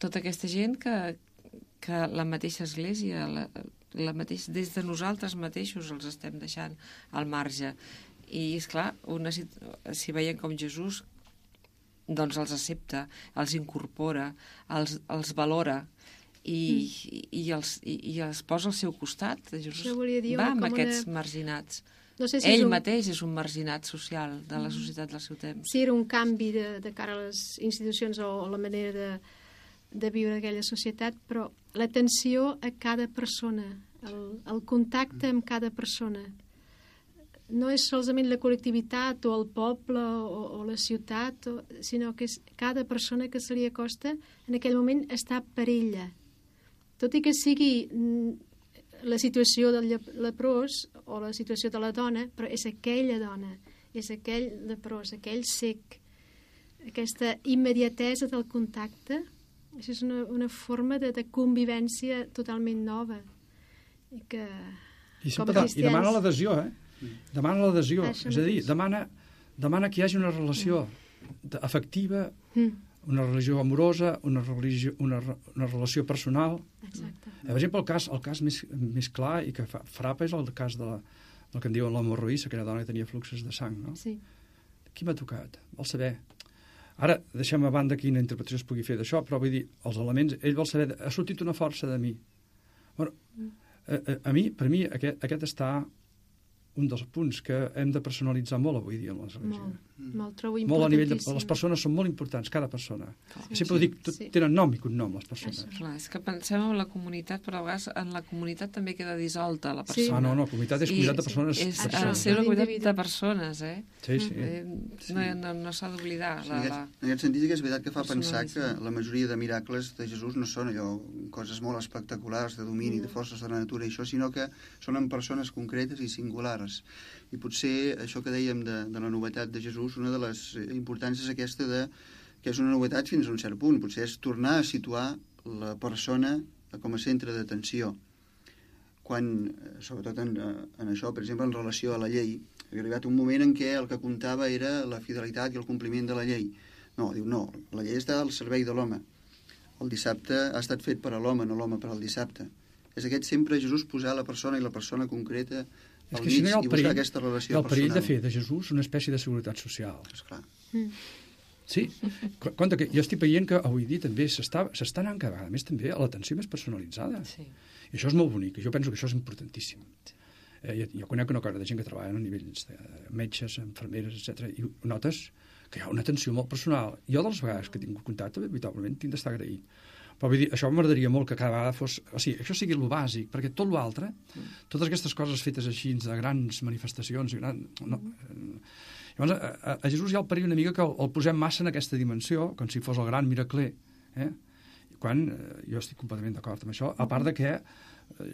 tota aquesta gent que la mateixa església des de nosaltres mateixos els estem deixant al marge i esclar, si veiem com Jesús doncs els accepta, els incorpora, els valora i els posa al seu costat. Jesús va amb aquests marginats. No sé si ell mateix és un marginat social de la societat del seu temps. Sí, era un canvi de cara a les institucions o la manera de viure aquella societat, però l'atenció a cada persona, el contacte amb cada persona. No és solament la col·lectivitat o el poble o la ciutat, sinó que és cada persona que se li acosta en aquell moment està per ella. Tot i que sigui la situació del leprós o la situació de la dona, però és aquella dona, és aquell leprós, aquell cec. Aquesta immediatesa del contacte, això és una forma de convivència totalment nova. I demana l'adhesió, Demana l'adhesió, és a dir, demana que hi hagi una relació afectiva, una relació amorosa, una relació personal. Exacte. Per exemple, el cas més clar i que frapa és el cas del que en diuen l'hemorroïssa, que era dona que tenia fluxos de sang, no? Sí. Qui m'ha tocat? Vol saber. Ara, deixem a banda quina interpretació es pugui fer d'això, però vull dir, els elements, ell vol saber, ha sortit una força de mi. Bueno, per mi, aquest està un dels punts que hem de personalitzar molt avui dia en l'Església. Molt, trobo Molt a nivell de... importantíssim. Les persones són molt importants, cada persona. Sí, Sempre ho dic, tenen nom i cognom, les persones. Clar, és que pensem en la comunitat, però a vegades en la comunitat també queda dissolta la Sí. persona. No, comunitat és comunitat de persones. És Això, el ser una comunitat l'individu. de persones, Sí. No s'ha d'oblidar. Sí, en aquest sentit que és veritat que fa pensar que la majoria de miracles de Jesús no són allò, coses molt espectaculars de domini, de forces de la natura i això, sinó que són en persones concretes i singulars. I potser això que dèiem de la novetat de Jesús, una de les importàncies és aquesta que és una novetat fins a un cert punt, potser és tornar a situar la persona com a centre d'atenció. Quan, sobretot en això, per exemple, en relació a la llei, havia arribat un moment en què el que comptava era la fidelitat i el compliment de la llei. No, diu, no, la llei està al servei de l'home. El dissabte ha estat fet per a l'home, no l'home per al dissabte. És aquest sempre Jesús posar la persona i la persona concreta al mig i buscar aquesta relació personal. El perill de fer de Jesús una espècie de seguretat social. Esclar. Sí, compte que jo estic veient que avui dia també s'està anant cada vegada més també a l'atenció més personalitzada. Sí. I això és molt bonic, i jo penso que això és importantíssim. Jo conec una cosa de gent que treballa a nivells de metges, infermeres, etc. i notes que hi ha una atenció molt personal. Jo de les vegades que he tingut contacte, veritablement, tinc d'estar agraït. Però vull dir, això m'agradaria molt que cada vegada fos... O sigui, això sigui el bàsic, perquè tot l'altre, totes aquestes coses fetes així, de grans manifestacions... Llavors, a Jesús hi ha el perill una mica que el posem massa en aquesta dimensió, com si fos el gran miracler. Quan jo estic completament d'acord amb això, a part de que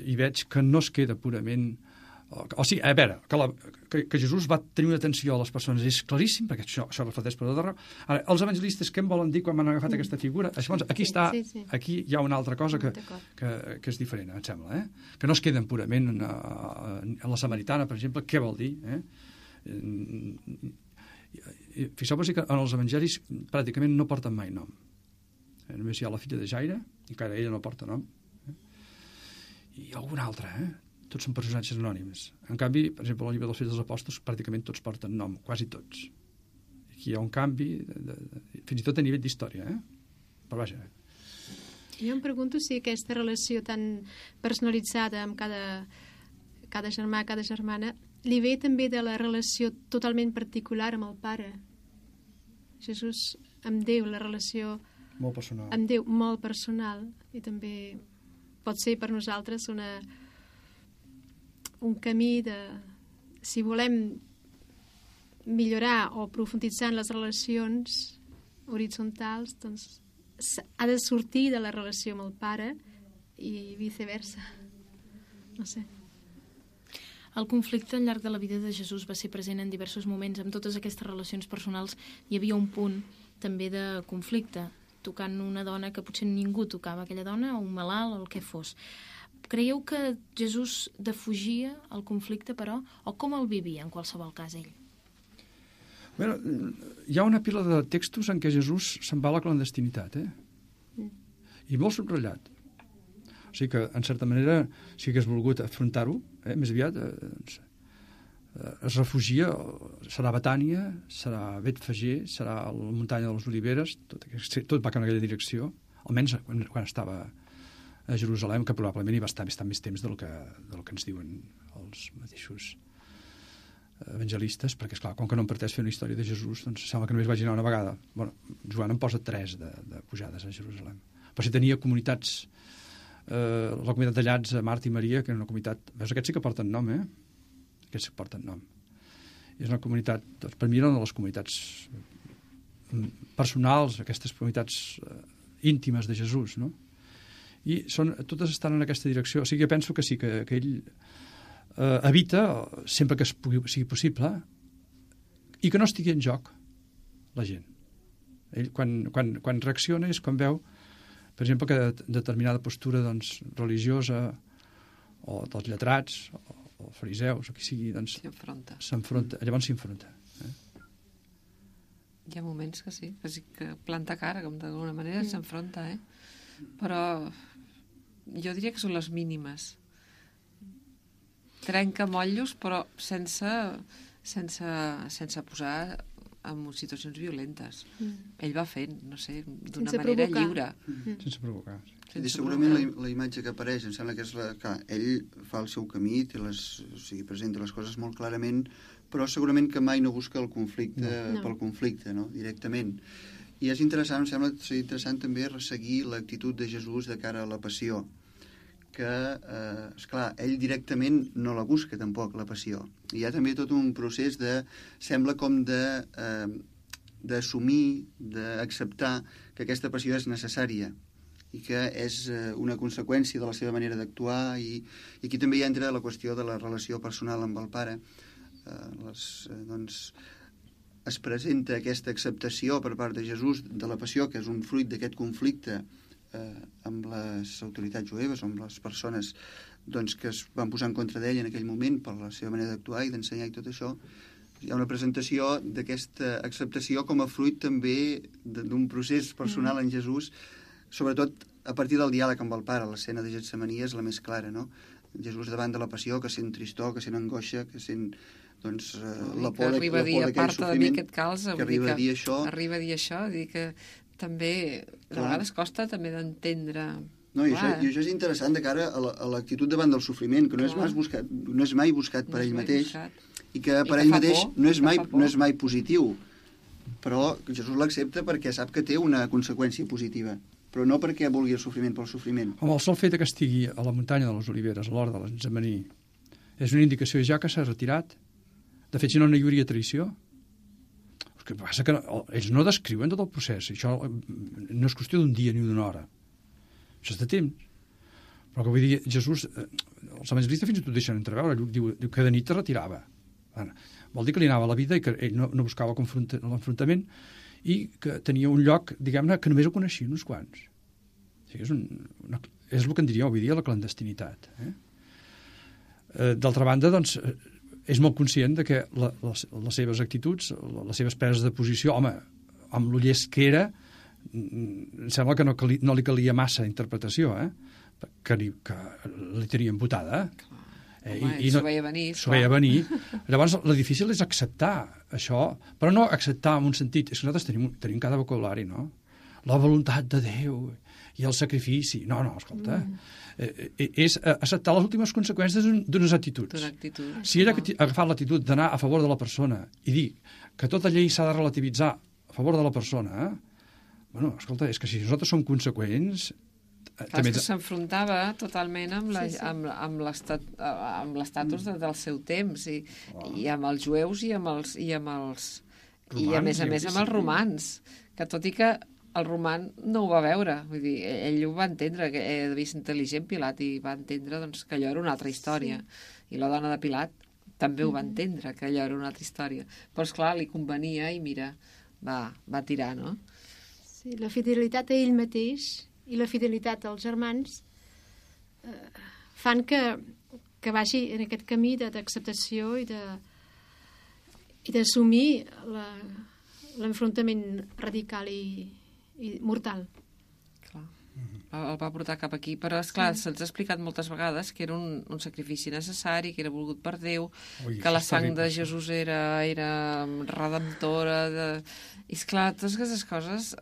hi veig que no es queda purament... O sigui, a veure, que Jesús va tenir una atenció a les persones és claríssim, perquè això reflecteix per tot arreu. Ara, els evangelistes què em volen dir quan m'han agafat aquesta figura? Aquí està, aquí hi ha una altra cosa que és diferent, em sembla, que no es queden purament en la Samaritana, per exemple, què vol dir? Fixeu-vos que en els evangelis pràcticament no porten mai nom. Només hi ha la filla de Jaire, i encara ella no porta nom. I alguna altra, tots són personatges anònims. En canvi, per exemple, al llibre dels Fets dels Apòstols pràcticament tots porten nom, quasi tots. Aquí hi ha un canvi, fins i tot a nivell d'història, però vaja. Jo em pregunto si aquesta relació tan personalitzada amb cada germà, cada germana, li ve també de la relació totalment particular amb el Pare. Jesús amb Déu, la relació molt personal. Amb Déu molt personal, i també pot ser per nosaltres un camí de... Si volem millorar o profunditzar en les relacions horitzontals, doncs ha de sortir de la relació amb el Pare i viceversa. No sé. El conflicte al llarg de la vida de Jesús va ser present en diversos moments. Amb totes aquestes relacions personals hi havia un punt també de conflicte, tocant una dona que potser ningú tocava aquella dona, o un malalt, o el que fos. Creieu que Jesús defugia el conflicte, però, o com el vivia, en qualsevol cas, ell? Bueno, hi ha una pila de textos en què Jesús se'n va a la clandestinitat, i molt subratllat. O sigui que, en certa manera, si hagués volgut afrontar-ho, més aviat, es refugia, serà Betània, serà Betfagé, serà la muntanya de les Oliveres, tot va cap en aquella direcció, almenys quan estava a Jerusalem, que probablement hi va estar bastant més temps del que ens diuen els mateixos evangelistes, perquè, esclar, com que no em parteix fer una història de Jesús, doncs sembla que només vaig anar una vegada. Bueno, Joan em posa 3 de pujades a Jerusalem. Però si tenia comunitats, la comunitat de Llats, Marta i Maria, que era una comunitat... Veus, aquests sí que porten nom, Aquests sí que porten nom. I és una comunitat... Doncs, per mi era una de les comunitats personals, aquestes comunitats íntimes de Jesús, no? I totes estan en aquesta direcció. O sigui, jo penso que sí, que ell evita, sempre que sigui possible, i que no estigui en joc la gent. Ell, quan reacciona, és quan veu, per exemple, que determinada postura doncs, religiosa, o dels lletrats, o fariseus, o qui sigui, doncs, s'enfronta. Llavors s'enfronta. Hi ha moments que sí, que planta cara, com d'alguna manera s'enfronta, Però jo diria que són les mínimes. Trenca motllos, però sense posar en situacions violentes. Ell va fent, no sé, d'una manera lliure. Sense provocar. Segurament la imatge que apareix, em sembla que és que ell fa el seu camí, presenta les coses molt clarament, però segurament que mai no busca el conflicte pel conflicte, no? Directament. I és interessant, em sembla interessant també resseguir l'actitud de Jesús de cara a la passió, que, esclar, ell directament no la busca tampoc, la passió. Hi ha també tot un procés sembla com d'assumir, d'acceptar que aquesta passió és necessària i que és una conseqüència de la seva manera d'actuar, i aquí també hi entra la qüestió de la relació personal amb el pare. Es presenta aquesta acceptació per part de Jesús de la passió, que és un fruit d'aquest conflicte amb les autoritats jueves, amb les persones que es van posar en contra d'ell en aquell moment per la seva manera d'actuar i d'ensenyar i tot això. Hi ha una presentació d'aquesta acceptació com a fruit també d'un procés personal en Jesús, sobretot a partir del diàleg amb el pare. L'escena de Getsemaní és la més clara, no? Jesús davant de la passió, que sent tristor, que sent angoixa, que sent la por d'aquell sofriment, que arriba a dir això. Arriba a dir això, dir que també de vegades costa també d'entendre. No, i això és interessant de cara a l'actitud davant del sofriment, que no és mai buscat per ell mateix, i que per ell mateix no és mai positiu, però Jesús l'accepta perquè sap que té una conseqüència positiva, però no perquè vulgui el sofriment pel sofriment. Home, el sol fet que estigui a la muntanya de les Oliveres, a l'hora de l'Getsemaní, és una indicació ja que s'ha retirat. De fet, si no hi hauria traïció. El que passa que ells no descriuen tot el procés. Això no és qüestió d'un dia ni d'una hora. Això és de temps. Però que vull dir, Jesús, els evangelistes fins i tot deixen entreveure. Diu que de nit es retirava. Vol dir que li anava a la vida i que ell no buscava l'enfrontament i que tenia un lloc, diguem-ne, que només ho coneixia uns quants. O sigui, és el que en diria avui dia la clandestinitat. D'altra banda, doncs, és molt conscient de que les seves actituds, les seves preses de posició, home, amb lo llest que era, em sembla que no li calia massa interpretació, que li tenia embotada. I s'ho veia venir. S'ho veia venir. Llavors, el difícil és acceptar això, però no acceptar en un sentit. És que nosaltres tenim cada vocabulari, no? La voluntat de Déu i el sacrifici. No, escolta. És acceptar les últimes conseqüències d'unes actituds. Si ell ha agafat l'actitud d'anar a favor de la persona i dir que tota llei s'ha de relativitzar a favor de la persona, bueno, escolta, és que si nosaltres som conseqüents... Clar, que s'enfrontava totalment amb l'estatus del seu temps i amb els jueus i a més amb els romans, que tot i que el roman no ho va veure, vull dir, ell ho va entendre, que devia ser intel·ligent Pilat, i va entendre que allò era una altra història, i la dona de Pilat també ho va entendre, que allò era una altra història, però esclar, li convenia i mira, va tirar, no? Sí, la fidelitat a ell mateix i la fidelitat als germans fan que vagi en aquest camí d'acceptació i d'assumir l'enfrontament radical i mortal. Clar. El va portar cap aquí, però esclar, se'ns ha explicat moltes vegades que era un sacrifici necessari, que era volgut per Déu, que la sang de Jesús era redemptora, i esclar, totes aquestes coses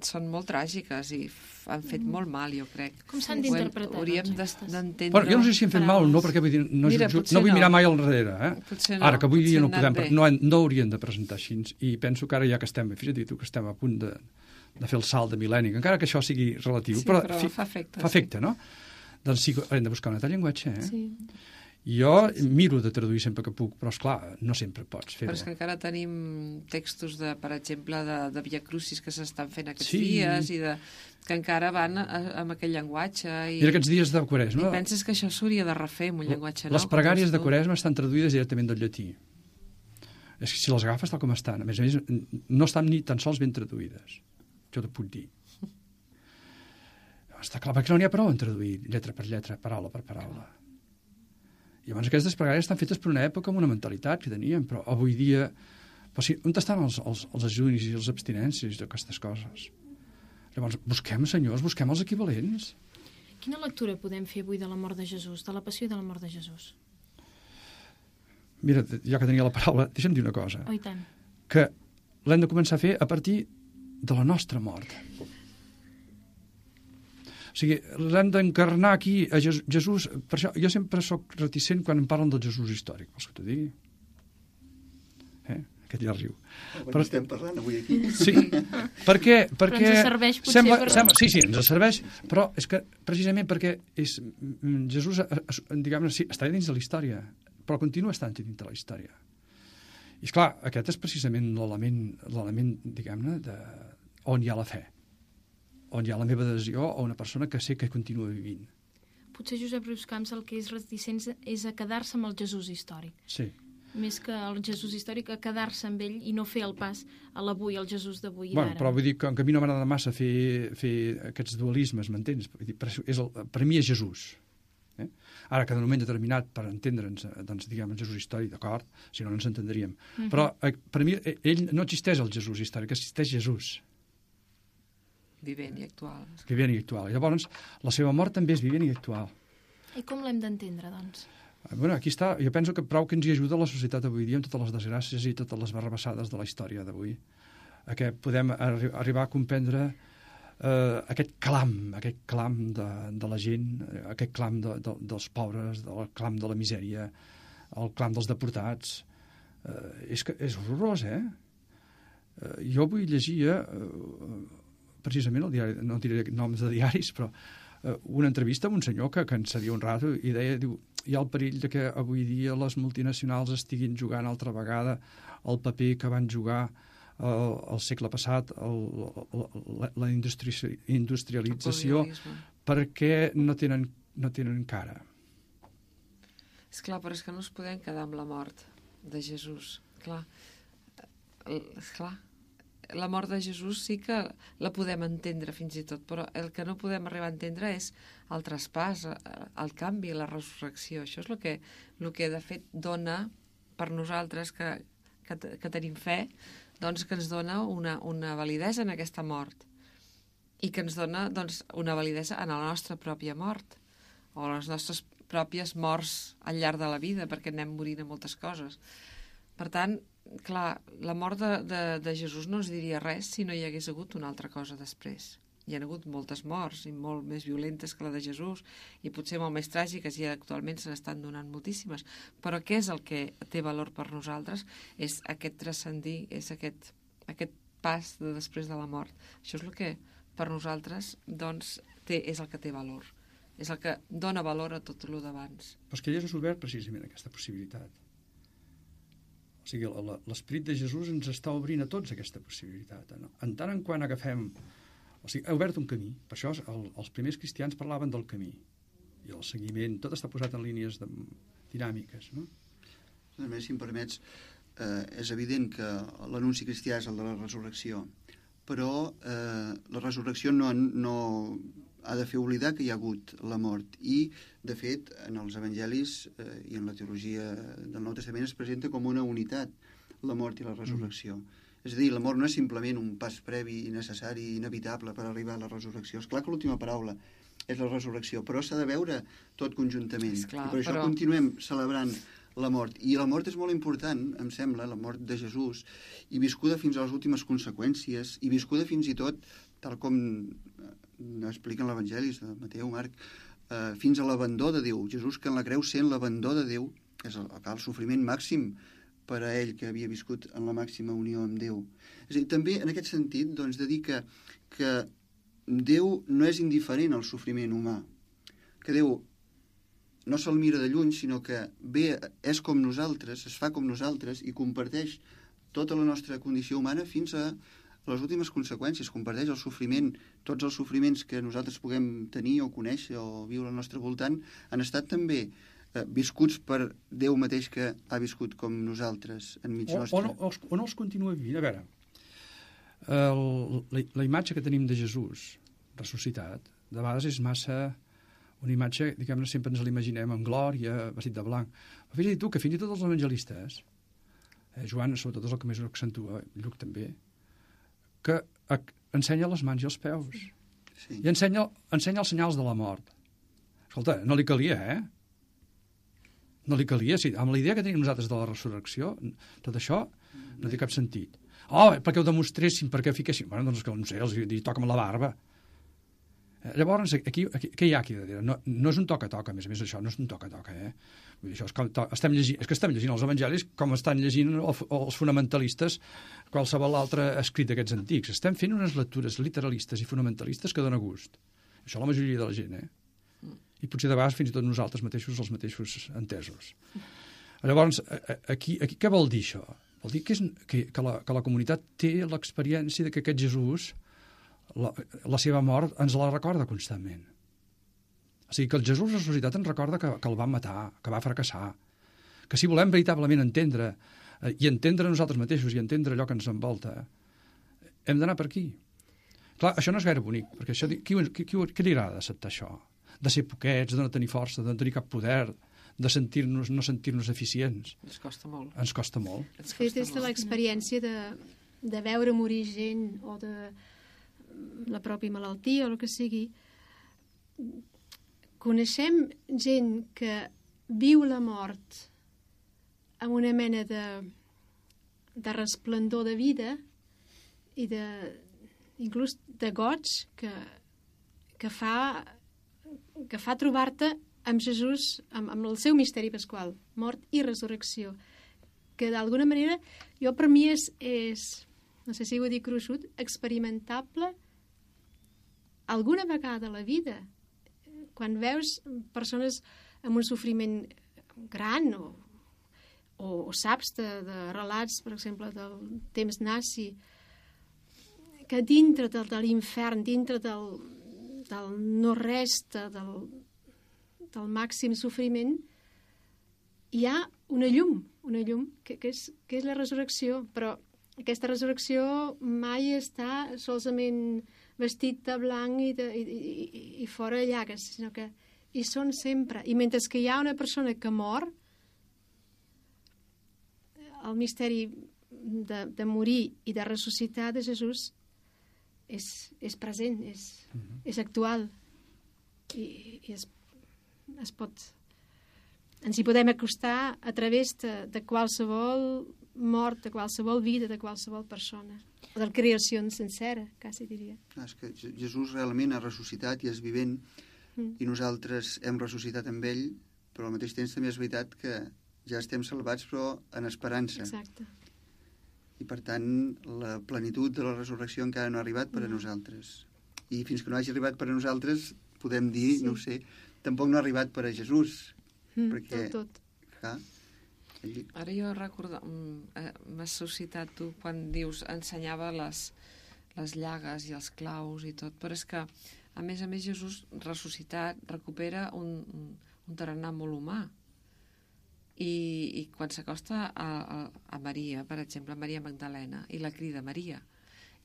són molt tràgiques i han fet molt mal, jo crec. Com s'han d'interpretar? Hauríem d'entendre... Però jo no sé si han fet mal o no, perquè vull dir, no vull mirar mai al darrere. Ara, que avui dia no haurien de presentar així, i penso que ara ja que estem, fixa't tu, que estem a punt de fer el salt de mil·lenni, encara que això sigui relatiu, sí, però fa efecte, no? Doncs sí, hem de buscar un altre llenguatge, Sí. Jo miro de traduir sempre que puc, però esclar, no sempre pots fer-ho. Però és que encara tenim textos, per exemple, de Via Crucis que s'estan fent aquests dies, i que encara van amb aquell llenguatge. I aquests dies de Quaresma... I penses que això s'hauria de refer amb un llenguatge nou? Les pregàries de Quaresma estan traduïdes directament del llatí. És que si les agafes tal com estan, a més, no estan ni tan sols ben traduïdes. Jo t'ho puc dir. Està clar, perquè no n'hi ha prou en traduir lletra per lletra, paraula per paraula. I llavors aquestes pregàries estan fetes per una època amb una mentalitat que teníem, però avui dia... Però sí, on estan els ajunis i les abstinències d'aquestes coses? Llavors, busquem, senyors, busquem els equivalents. Quina lectura podem fer avui de la mort de Jesús, de la passió i de la mort de Jesús? Mira, ja que tenia la paraula, deixa'm dir una cosa. Oh, i tant. Que l'hem de començar a fer a partir de la nostra mort. O sigui, l'hem d'encarnar aquí a Jesús. Per això jo sempre sóc reticent quan em parlen del Jesús històric. Vols que t'ho digui? Aquest ja riu. Però estem parlant avui aquí. Sí, perquè Però ens serveix potser sí, ens serveix, però és que precisament perquè Jesús, diguem-ne, sí, està dins de la història, però continua estant dins de la història. I esclar, aquest és precisament l'element, diguem-ne, on hi ha la fe, on hi ha la meva adhesió a una persona que sé que continua vivint. Potser Josep Riuscamps el que és reticent és a quedar-se amb el Jesús històric. Sí. Més que el Jesús històric, a quedar-se amb ell i no fer el pas a l'avui, al Jesús d'avui i d'ara. Però vull dir que a mi no m'agrada massa fer aquests dualismes, m'entens? Per mi és Jesús. Ara, que en un moment determinat, per entendre'ns, doncs, diguem, el Jesús històric, d'acord? Si no, no ens entendríem. Però per mi, ell no existeix el Jesús històric, existeix Jesús. Vivent i actual. Vivent i actual. Llavors, la seva mort també és vivent i actual. I com l'hem d'entendre, doncs? Bueno, aquí està. Jo penso que prou que ens hi ajuda la societat avui dia amb totes les desgràcies i totes les barrabassades de la història d'avui. Que podem arribar a comprendre aquest clam de la gent, aquest clam dels pobres, el clam de la misèria, el clam dels deportats. És horrorós, Jo avui llegia, precisament, el diari, no diré noms de diaris, però una entrevista amb un senyor que en sabia un rato i deia, diu, hi ha el perill de que avui dia les multinacionals estiguin jugant altra vegada el paper que van jugar al segle passat, la industrialització, perquè no tenen cara. Esclar, però és que no ens podem quedar amb la mort de Jesús. Esclar, la mort de Jesús sí que la podem entendre fins i tot, però el que no podem arribar a entendre és el traspàs, el canvi, la resurrecció. Això és el que de fet dona per nosaltres que tenim fe, doncs que ens dona una validesa en aquesta mort i que ens dona doncs, una validesa en la nostra pròpia mort o les nostres pròpies morts al llarg de la vida, perquè anem morint a moltes coses. Per tant, clar, la mort de Jesús no ens diria res si no hi hagués hagut una altra cosa després. Hi ha hagut moltes morts i molt més violentes que la de Jesús i potser molt més tràgiques i actualment se n'estan donant moltíssimes. Però què és el que té valor per nosaltres? És aquest transcendir, és aquest pas de després de la mort. Això és el que per nosaltres doncs, és el que té valor. És el que dona valor a tot el d'abans. Però és que ell és obert precisament aquesta possibilitat. O sigui, l'esperit de Jesús ens està obrint a tots aquesta possibilitat. No? En tant en quant agafem... O sigui, ha obert un camí. Per això els primers cristians parlaven del camí. I el seguiment, tot està posat en línies dinàmiques. No? A més, si em permets, és evident que l'anunci cristià és el de la resurrecció, però la resurrecció no ha de fer oblidar que hi ha hagut la mort. I, de fet, en els evangelis i en la teologia del Nou Testament es presenta com una unitat, la mort i la resurrecció. És a dir, la mort no és simplement un pas previ, necessari, inevitable per arribar a la resurrecció. És clar que l'última paraula és la resurrecció, però s'ha de veure tot conjuntament. Esclar, i per això continuem celebrant la mort. I la mort és molt important, em sembla, la mort de Jesús, i viscuda fins a les últimes conseqüències, i viscuda fins i tot, tal com expliquen l'Evangelis de Mateu, Marc, fins a l'abandó de Déu. Jesús, que en la creu sent l'abandó de Déu, és el sofriment màxim per a ell, que havia viscut en la màxima unió amb Déu. És a dir, també en aquest sentit, doncs, de dir que Déu no és indiferent al sofriment humà, que Déu no se'l mira de lluny, sinó que ve, és com nosaltres, es fa com nosaltres i comparteix tota la nostra condició humana fins a les últimes conseqüències, comparteix el sofriment, tots els sofriments que nosaltres puguem tenir o conèixer o viure al nostre voltant, han estat també viscuts per Déu mateix que ha viscut com nosaltres enmig nostre. O no els continua vivint. A veure, la imatge que tenim de Jesús ressuscitat, de vegades és massa una imatge, diguem-ne, sempre ens l'imaginem en glòria, vestit de blanc. Però fins i tot, que fins i tot els evangelistes, Joan sobretot és el que més ho accentua, Lluc també, que ensenya les mans i els peus. Sí. I ensenya els senyals de la mort. Escolta, no li calia, No li calia, sí. Amb la idea que tenim nosaltres de la resurrecció, tot això no té cap sentit. Perquè ho demostressin, perquè fiquessin... Bueno, doncs que no sé, els toca'm la barba. Llavors, aquí, què hi ha aquí darrere? No és un toca-toca, a més això no és un toca-toca, Vull dir, això és, estem llegint els evangelis com estan llegint els fonamentalistes qualsevol altre escrit d'aquests antics. Estem fent unes lectures literalistes i fonamentalistes que dona gust. Això la majoria de la gent, I potser de vegades fins i tot nosaltres mateixos, els mateixos entesos. Llavors, aquí què vol dir això? Vol dir que la comunitat té l'experiència de que aquest Jesús, la seva mort, ens la recorda constantment. O sigui, que el Jesús ressuscitat ens recorda que el van matar, que va fracassar, que si volem veritablement entendre, i entendre nosaltres mateixos, i entendre allò que ens envolta, hem d'anar per aquí. Clar, això no és gaire bonic, perquè això, qui li agrada d'acceptar això? De ser poquets, de no tenir força, de no tenir cap poder, de no sentir-nos eficients. Ens costa molt. Ens costa molt. Fet des de l'experiència de veure morir gent o de la pròpia malaltia o el que sigui, coneixem gent que viu la mort amb una mena de resplendor de vida i inclús de goig que fa trobar-te amb Jesús, amb el seu misteri pasqual, mort i resurrecció, que d'alguna manera, per mi és no sé si ho dic gruixut, experimentable alguna vegada a la vida. Quan veus persones amb un sofriment gran o saps de relats, per exemple, del temps nazi, que dintre de l'infern, dintre del no-res, del màxim sofriment, hi ha una llum que és la resurrecció, però aquesta resurrecció mai està solament vestit de blanc i fora llagues, sinó que hi són sempre. I mentre que hi ha una persona que mor, el misteri de morir i de ressuscitar de Jesús és present, és actual i es pot... Ens hi podem acostar a través de qualsevol mort, de qualsevol vida, de qualsevol persona. O de la creació sencera, quasi diria. És que Jesús realment ha ressuscitat i és vivent i nosaltres hem ressuscitat amb ell, però al mateix temps també és veritat que ja estem salvats però en esperança. Exacte. I per tant la plenitud de la resurrecció encara no ha arribat per a nosaltres. I fins que no hagi arribat per a nosaltres podem dir, no ho sé, tampoc no ha arribat per a Jesús. Perquè, tot. Clar, ara jo recordo, m'has suscitat tu quan dius ensenyava les llagues i els claus i tot, però és que a més Jesús ressuscitat recupera un tarannà molt humà i quan s'acosta a Maria, per exemple, Maria Magdalena, i la crida Maria,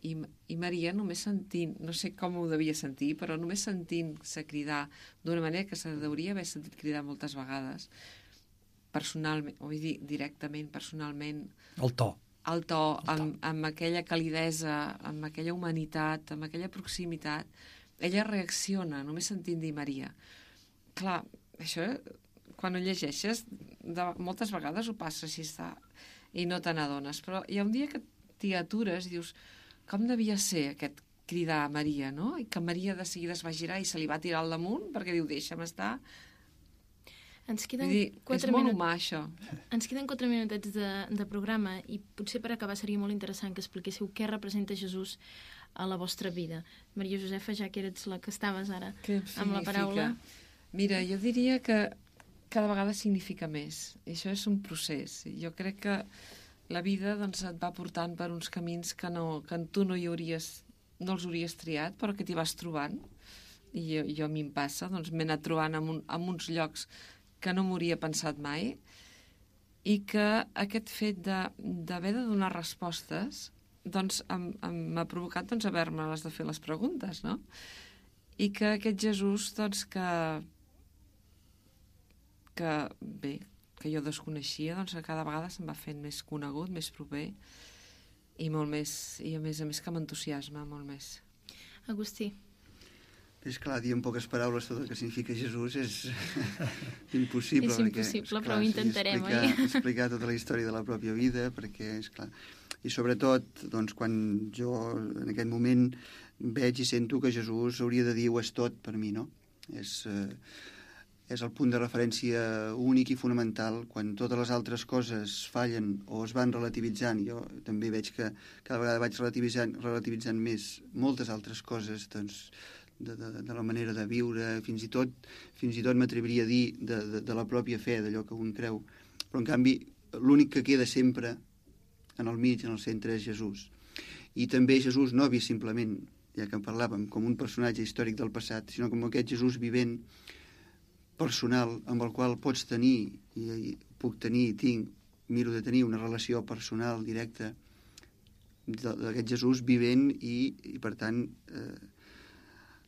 i Maria només sentint, no sé com ho devia sentir, però només sentint-se cridar d'una manera que se deuria haver sentit cridar moltes vegades, personalment, vull dir, directament, personalment... El to, amb aquella calidesa, amb aquella humanitat, amb aquella proximitat, ella reacciona, només sentint dir Maria. Clar, això, quan ho llegeixes, moltes vegades ho passa així, i no te n'adones, però hi ha un dia que t'hi atures i dius... Com devia ser aquest cridar a Maria, no? I que Maria de seguida es va girar i se li va tirar al damunt perquè diu, deixa'm estar. Ens queden és molt humà, això. Ens queden 4 minutets de programa i potser per acabar seria molt interessant que expliquéssiu què representa Jesús a la vostra vida. Maria Josefa, ja que eres la que estaves ara amb la paraula. Mira, jo diria que cada vegada significa més. I això és un procés. Jo crec que la vida doncs, et va portant per uns camins que tu no els hauries triat, però que t'hi vas trobant. I jo a mi em passa, doncs m'he anat trobant en uns llocs que no m'hauria pensat mai, i que aquest fet d'haver de donar respostes doncs m'ha provocat doncs, haver-me-les de fer les preguntes, no? I que aquest Jesús doncs, que jo desconeixia, doncs cada vegada se'm va fent més conegut, més proper i molt més, i a més que m'entusiasma molt més. Agustí. És clar, dir en poques paraules tot el que significa Jesús és impossible. És impossible, però ho intentarem, oi? Explicar tota la història de la pròpia vida, perquè, és clar... I sobretot, doncs, quan jo en aquest moment veig i sento que Jesús hauria de dir ho és tot per mi, no? És el punt de referència únic i fonamental. Quan totes les altres coses fallen o es van relativitzant, jo també veig que cada vegada vaig relativitzant més moltes altres coses, doncs, de la manera de viure, fins i tot m'atreviria a dir de la pròpia fe, d'allò que un creu. Però, en canvi, l'únic que queda sempre en el mig, en el centre, és Jesús. I també Jesús no vist simplement, ja que en parlàvem, com un personatge històric del passat, sinó com aquest Jesús vivent, personal, amb el qual pots tenir, i puc tenir, miro de tenir una relació personal directa d'aquest Jesús vivent i per tant,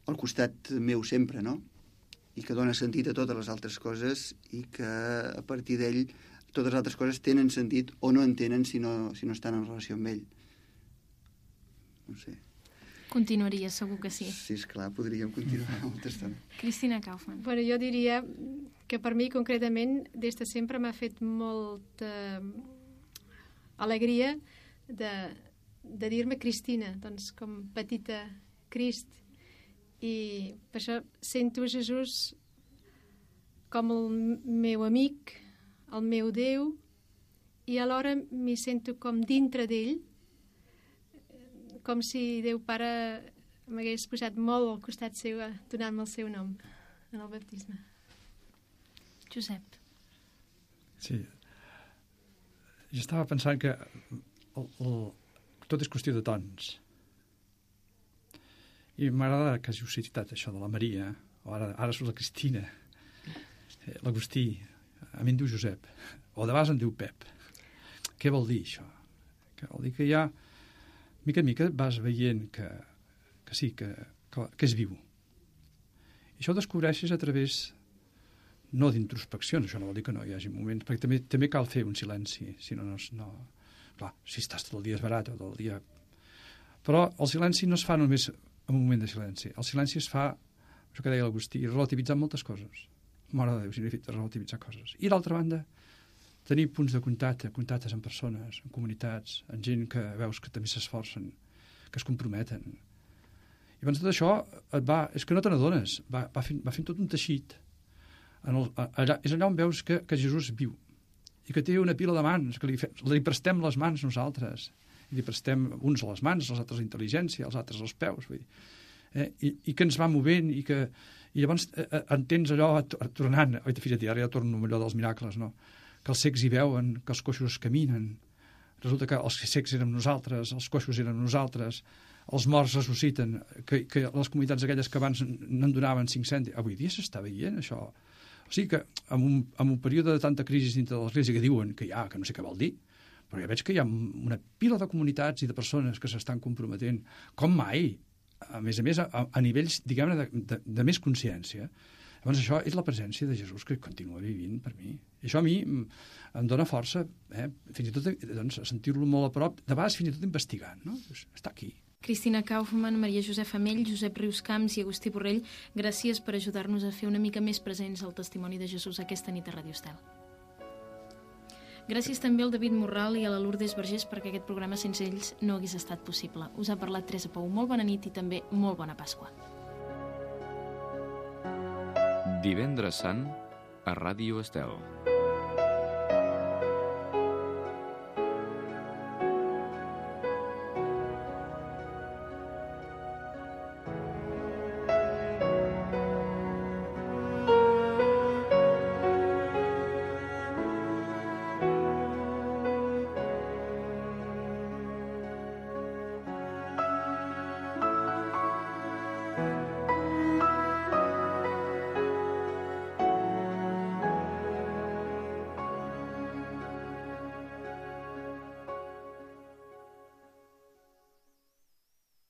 al costat meu sempre, no? I que dona sentit a totes les altres coses i que a partir d'ell totes les altres coses tenen sentit o no en tenen si no estan en relació amb ell. No sé. Continuaria, segur que sí. Sí, esclar, podríem continuar molta estona. Cristina Kaufmann. Bueno, jo diria que per mi, concretament, des de sempre m'ha fet molta alegria de dir-me Cristina, doncs com petita Crist. I per això sento Jesús com el meu amic, el meu Déu, i alhora m'hi sento com dintre d'ell, com si Déu Pare m'hagués posat molt al costat seu, donant-me el seu nom en el baptisme. Josep. Sí. Jo estava pensant que tot és qüestió de tons. I m'agrada que hàgiu citat això de la Maria, o ara surt la Cristina, l'Agustí, a mi em diu Josep, o de vegades em diu Pep. Què vol dir això? Que vol dir que ja mica en mica vas veient que sí, que és viu. I això ho descobreixes a través, no d'introspeccions, això no vol dir que no hi hagi moments, perquè també cal fer un silenci, si no... Clar, si estàs tot el dia esbarat o tot el dia... Però el silenci no es fa només en un moment de silenci. El silenci es fa, això que deia l'Agustí, relativitzant moltes coses. Mare de Déu, significa relativitzar coses. I d'altra banda, tenir punts de contactes amb persones, amb comunitats, amb gent que veus que també s'esforcen, que es comprometen. I abans de tot això, és que no te n'adones, va fent tot un teixit. És allà on veus que Jesús viu i que té una pila de mans, que li prestem les mans nosaltres, i li prestem uns a les mans, els altres a la intel·ligència, els altres als peus, vull dir. I que ens va movent i llavors entens allò tornant, fixa't, ara ja torno allò dels miracles, no? Que els cecs hi veuen, que els coixos caminen, resulta que els cecs érem nosaltres, els coixos érem nosaltres, els morts ressusciten, que les comunitats aquelles que abans no en donaven 5 cèntims, avui dia s'està veient això. O sigui que en un període de tanta crisi dintre de l'Església que diuen que no sé què vol dir, però ja veig que hi ha una pila de comunitats i de persones que s'estan comprometent, com mai, a més, a nivells, diguem-ne, de més consciència. Llavors això és la presència de Jesús que continua vivint per mi. I això a mi em dona força, fins i tot doncs, sentir-lo molt a prop, de vegades fins i tot investigant, no? Està aquí. Cristina Kaufmann, Maria Josefa Amell, Josep Riuscamps i Agustí Borrell, gràcies per ajudar-nos a fer una mica més presents el testimoni de Jesús aquesta nit a Ràdio Estel. Gràcies també al David Morral i a la Lourdes Vergés perquè aquest programa sense ells no hagués estat possible. Us ha parlat Teresa Pou. Molt bona nit i també molt bona Pasqua. Divendres Sant a Ràdio Estel.